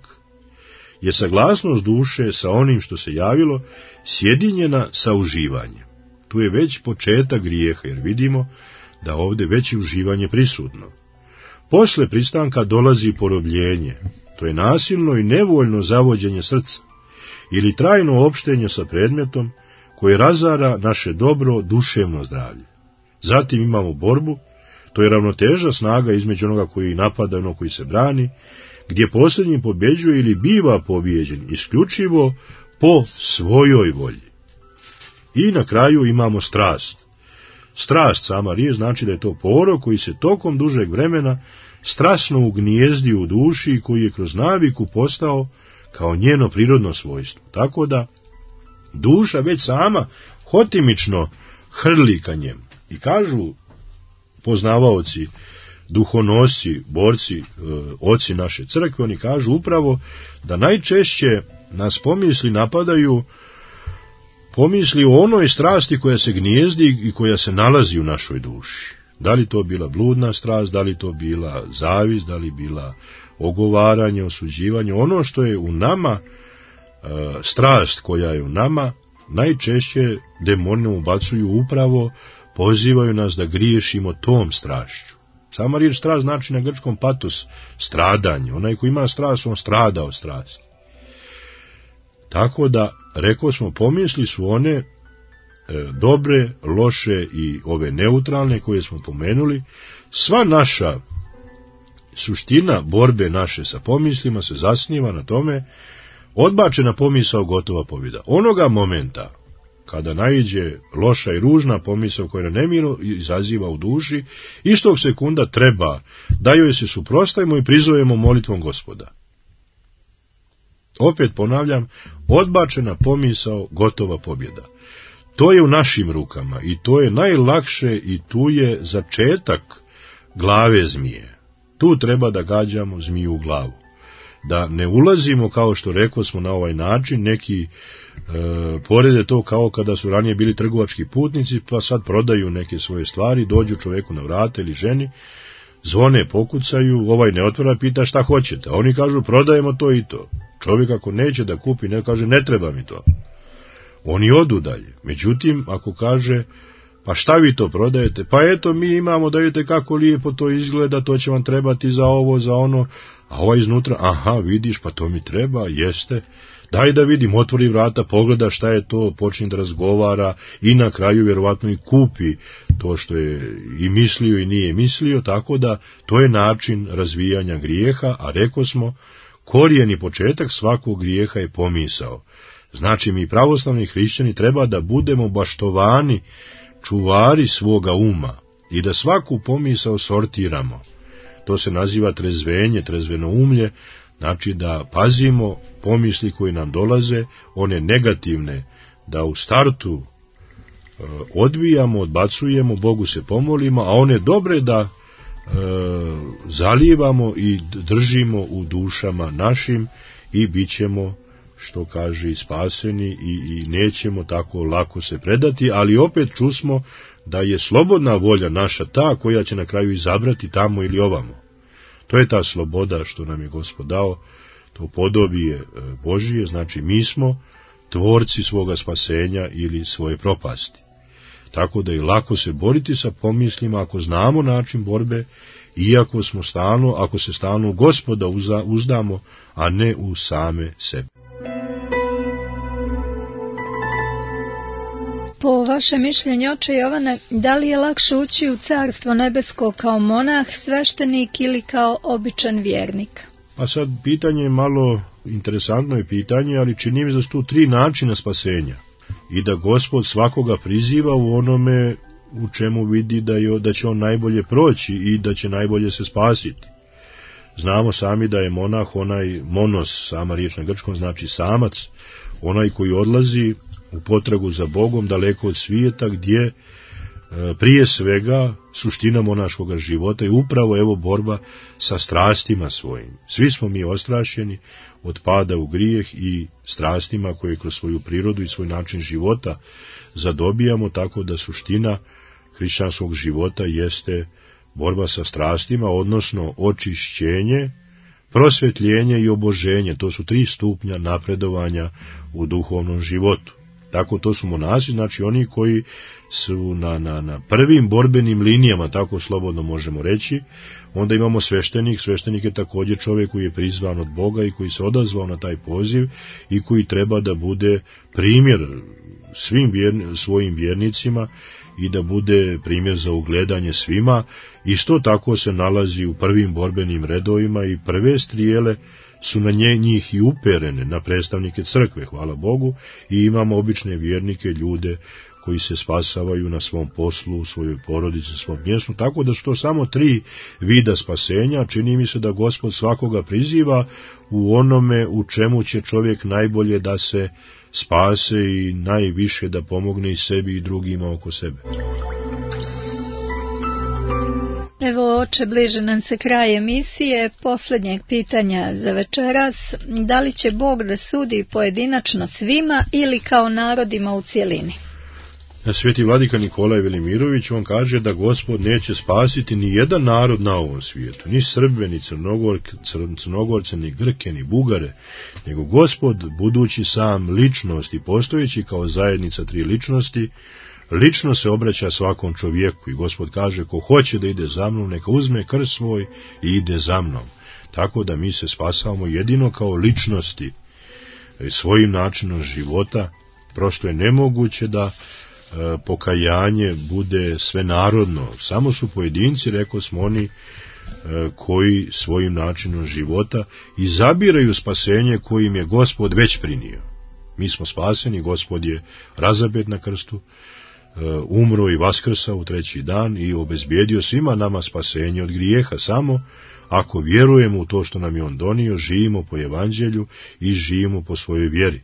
je saglasnost duše sa onim što se javilo, sjedinjena sa uživanjem. Tu je već početak grijeha, jer vidimo da ovdje već je uživanje prisutno. Posle pristanka dolazi porobljenje, to je nasilno i nevoljno zavođenje srca, ili trajno opštenje sa predmetom koje razara naše dobro duševno zdravlje. Zatim imamo borbu, to je ravnoteža snaga između onoga koji napada i onoga koji se brani, gdje posljednji pobjeđuje ili biva pobijeđen isključivo po svojoj volji. I na kraju imamo strast. Strast, sama riječ, znači da je to porok koji se tokom dužeg vremena strasno ugnijezdi u duši i koji je kroz naviku postao kao njeno prirodno svojstvo. Tako da duša već sama hotimično hrli ka njemu. I kažu poznavaoci, duhonosci, borci, oci naše crkve, oni kažu upravo da najčešće nas pomisli napadaju pomisli o onoj strasti koja se gnijezdi i koja se nalazi u našoj duši. Da li to bila bludna strast, da li to bila zavist, da li bila ogovaranje, osuđivanje, ono što je u nama, strast koja je u nama, najčešće demoni ubacuju upravo, pozivaju nas da griješimo tom strašću. Sama riječ strast znači na grčkom patos, stradanje. Onaj ko ima strast, on strada od strasti. Tako da, rekao smo, pomisli su one dobre, loše i ove neutralne koje smo pomenuli. Sva naša suština borbe naše sa pomislima se zasniva na tome, odbačena pomisao, gotova pobjeda. Onoga momenta kada naiđe loša i ružna pomisao koja na nemiro izaziva u duši, istog sekunda treba da joj se suprotstavimo i prizovemo molitvom Gospoda. Opet ponavljam, odbačena pomisao, gotova pobjeda. To je u našim rukama i to je najlakše i tu je začetak glave zmije. Tu treba da gađamo zmiju u glavu. Da ne ulazimo, kao što rekao smo, na ovaj način, neki porede to kao kada su ranije bili trgovački putnici, pa sad prodaju neke svoje stvari, dođu čoveku na vrata ili ženi, zvone, pokucaju, ovaj ne otvara, pita šta hoćete, a oni kažu prodajemo to i to. Čovjek ako neće da kupi, ne kaže ne treba mi to. Oni odu dalje. Međutim, ako kaže, Pa šta vi to prodajete? Pa eto, mi imamo, da vidite kako lijepo to izgleda, to će vam trebati za ovo, za ono, a ovaj iznutra, aha, vidiš, pa to mi treba, jeste, daj da vidim, otvori vrata, pogleda šta je to, počne da razgovara i na kraju vjerovatno i kupi to što je i mislio i nije mislio, tako da to je način razvijanja grijeha, a reko smo, korijen i početak svakog grijeha je pomisao. Znači, mi pravoslavni hrišćani treba da budemo baštovani, čuvari svoga uma i da svaku pomisao sortiramo. To se naziva trezvenje, trezvenoumlje, znači da pazimo pomisli koji nam dolaze, one negativne, da u startu odbijamo, odbacujemo, Bogu se pomolimo, a one dobre da zalijevamo i držimo u dušama našim i bit ćemo, što kaže, spaseni i nećemo tako lako se predati, ali opet čusmo da je slobodna volja naša ta koja će na kraju izabrati tamo ili ovamo. To je ta sloboda što nam je Gospod dao, to podobije Božije, znači mi smo tvorci svoga spasenja ili svoje propasti. Tako da je lako se boriti sa pomislima ako znamo način borbe, iako smo stalno, ako se stalno u Gospoda uzdamo, a ne u same sebe. Po vašem mišljenju, oče Jovane, da li je lakše ući u Carstvo nebesko kao monah, sveštenik ili kao običan vjernik? A sad pitanje je malo interesantno je pitanje, ali čini mi da su tu 3 načina spasenja i da Gospod svakoga priziva u onome u čemu vidi da će on najbolje proći i da će najbolje se spasiti. Znamo sami da je monah onaj monos, sama riječ na grčkom znači samac, onaj koji odlazi u potragu za Bogom daleko od svijeta, gdje prije svega suština monaškoga života je upravo evo borba sa strastima svojim. Svi smo mi ostrašćeni od pada u grijeh i strastima koje kroz svoju prirodu i svoj način života zadobijamo, tako da suština hrišćanskog života jeste borba sa strastima, odnosno očišćenje, prosvjetljenje i oboženje. To su 3 stupnja napredovanja u duhovnom životu. Tako to su monasi, znači oni koji su na prvim borbenim linijama, tako slobodno možemo reći. Onda imamo sveštenik, sveštenik je također čovjek koji je prizvan od Boga i koji se odazvao na taj poziv i koji treba da bude primjer svim svojim vjernicima i da bude primjer za ugledanje svima. Isto tako se nalazi u prvim borbenim redovima i prve strijele su na njih i uperene, na predstavnike crkve, hvala Bogu, i imamo obične vjernike, ljude koji se spasavaju na svom poslu, u svojoj porodici, svom mjestu, tako da su to samo 3 vida spasenja. Čini mi se da Gospod svakoga priziva u onome u čemu će čovjek najbolje da se spase i najviše da pomogne i sebi i drugima oko sebe. Evo, oče, bliže nam se kraj emisije, posljednjeg pitanja za večeras. Da li će Bog da sudi pojedinačno svima ili kao narodima u cjelini? Sveti vladika Nikolaj Velimirović, on kaže da Gospod neće spasiti ni jedan narod na ovom svijetu, ni Srbe, ni Crnogorce, ni Grke, ni Bugare, nego Gospod, budući sam ličnost i postojeći kao zajednica 3 ličnosti, lično se obraća svakom čovjeku i Gospod kaže, ko hoće da ide za mnom, neka uzme krst svoj i ide za mnom. Tako da mi se spasavamo jedino kao ličnosti svojim načinom života. Prosto je nemoguće da pokajanje bude svenarodno. Samo su pojedinci, rekao smo, oni koji svojim načinom života izabiraju spasenje kojim je Gospod već prinio. Mi smo spaseni, Gospod je razapet na krstu, umro i vaskrsao u 3. dan i obezbijedio svima nama spasenje od grijeha. Samo ako vjerujemo u to što nam je on donio, živimo po evanđelju i živimo po svojoj vjeri.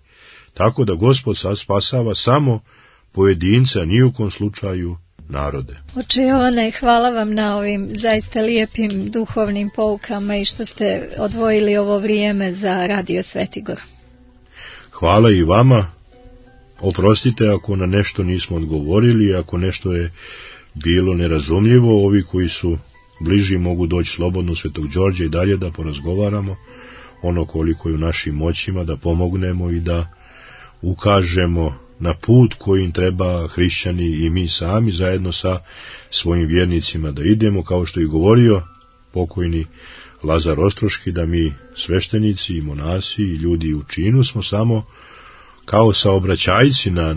Tako da Gospod sad spasava samo pojedinca, ni u kom slučaju narode. Oče Jovane, hvala vam na ovim zaista lijepim duhovnim poukama i što ste odvojili ovo vrijeme za Radio Svetigor. Hvala i vama. Oprostite ako na nešto nismo odgovorili, ako nešto je bilo nerazumljivo. Ovi koji su bliži mogu doći slobodno u Svetog Đorđa i dalje da porazgovaramo ono koliko je u našim moćima, da pomognemo i da ukažemo na put kojim treba hrišćani i mi sami zajedno sa svojim vjernicima da idemo, kao što je govorio pokojni Lazar Ostroški, da mi sveštenici i monasi i ljudi u činu smo samo kao saobraćajci na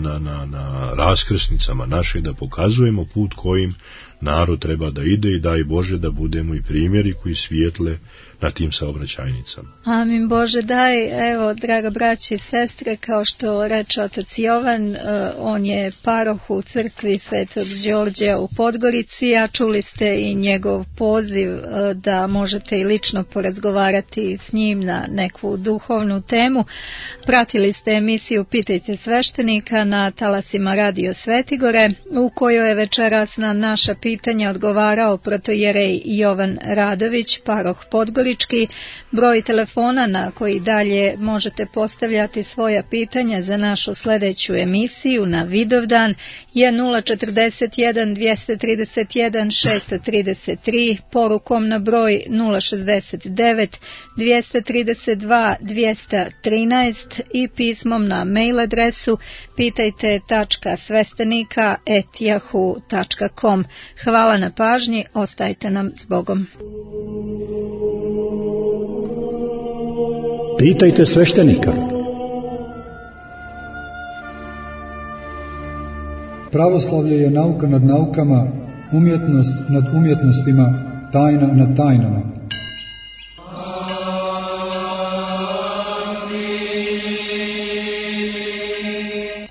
raskrsnicama naše, da pokazujemo put kojim narod treba da ide i daj Bože da budemo i primjeri koji svijetle na tim saobraćajnicama. Amin Bože, daj, evo, draga braći i sestre, kao što reče otac Jovan, on je paroh u crkvi Svetog Đorđa u Podgorici, a čuli ste i njegov poziv da možete i lično porazgovarati s njim na neku duhovnu temu. Pratili ste emisiju Pitajte sveštenika na talasima Radio Svetigore, u kojoj je večeras na naša pitanja odgovarao protojerej Jovan Radović, paroh Podgorički. Broj telefona na koji dalje možete postavljati svoja pitanja za našu sljedeću emisiju na Vidovdan je 041 231 633, porukom na broj 069 232 213 i pismom na mail adresu pitajte.svestenika@yahoo.com. Hvala na pažnji, ostajte nam s Bogom. Pitajte sveštenika. Pravoslavlje je nauka nad naukama, umjetnost nad umjetnostima, tajna nad tajnama.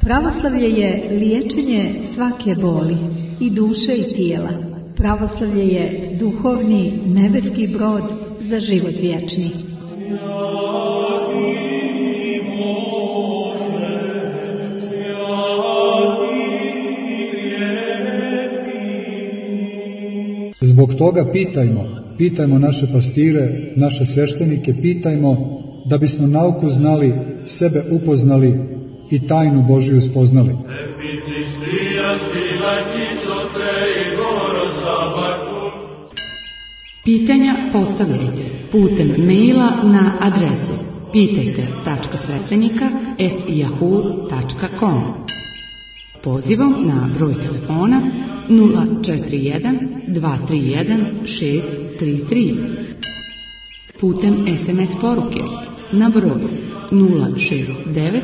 Pravoslavlje je liječenje svake boli, i duše i tijela. Pravoslavlje je duhovni nebeski brod za život vječni. Zbog toga pitajmo naše pastire, naše sveštenike, pitajmo da bismo nauku znali, sebe upoznali i tajnu Božju spoznali. Pitanja postavljajte putem maila na adresu pitajte.sveštenika@yahoo.com. Pozivom na broj telefona 041 231 633. Putem SMS poruke na broj 069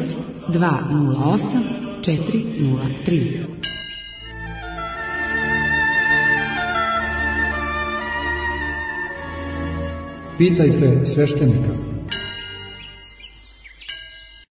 208 403. Pitajte sveštenika.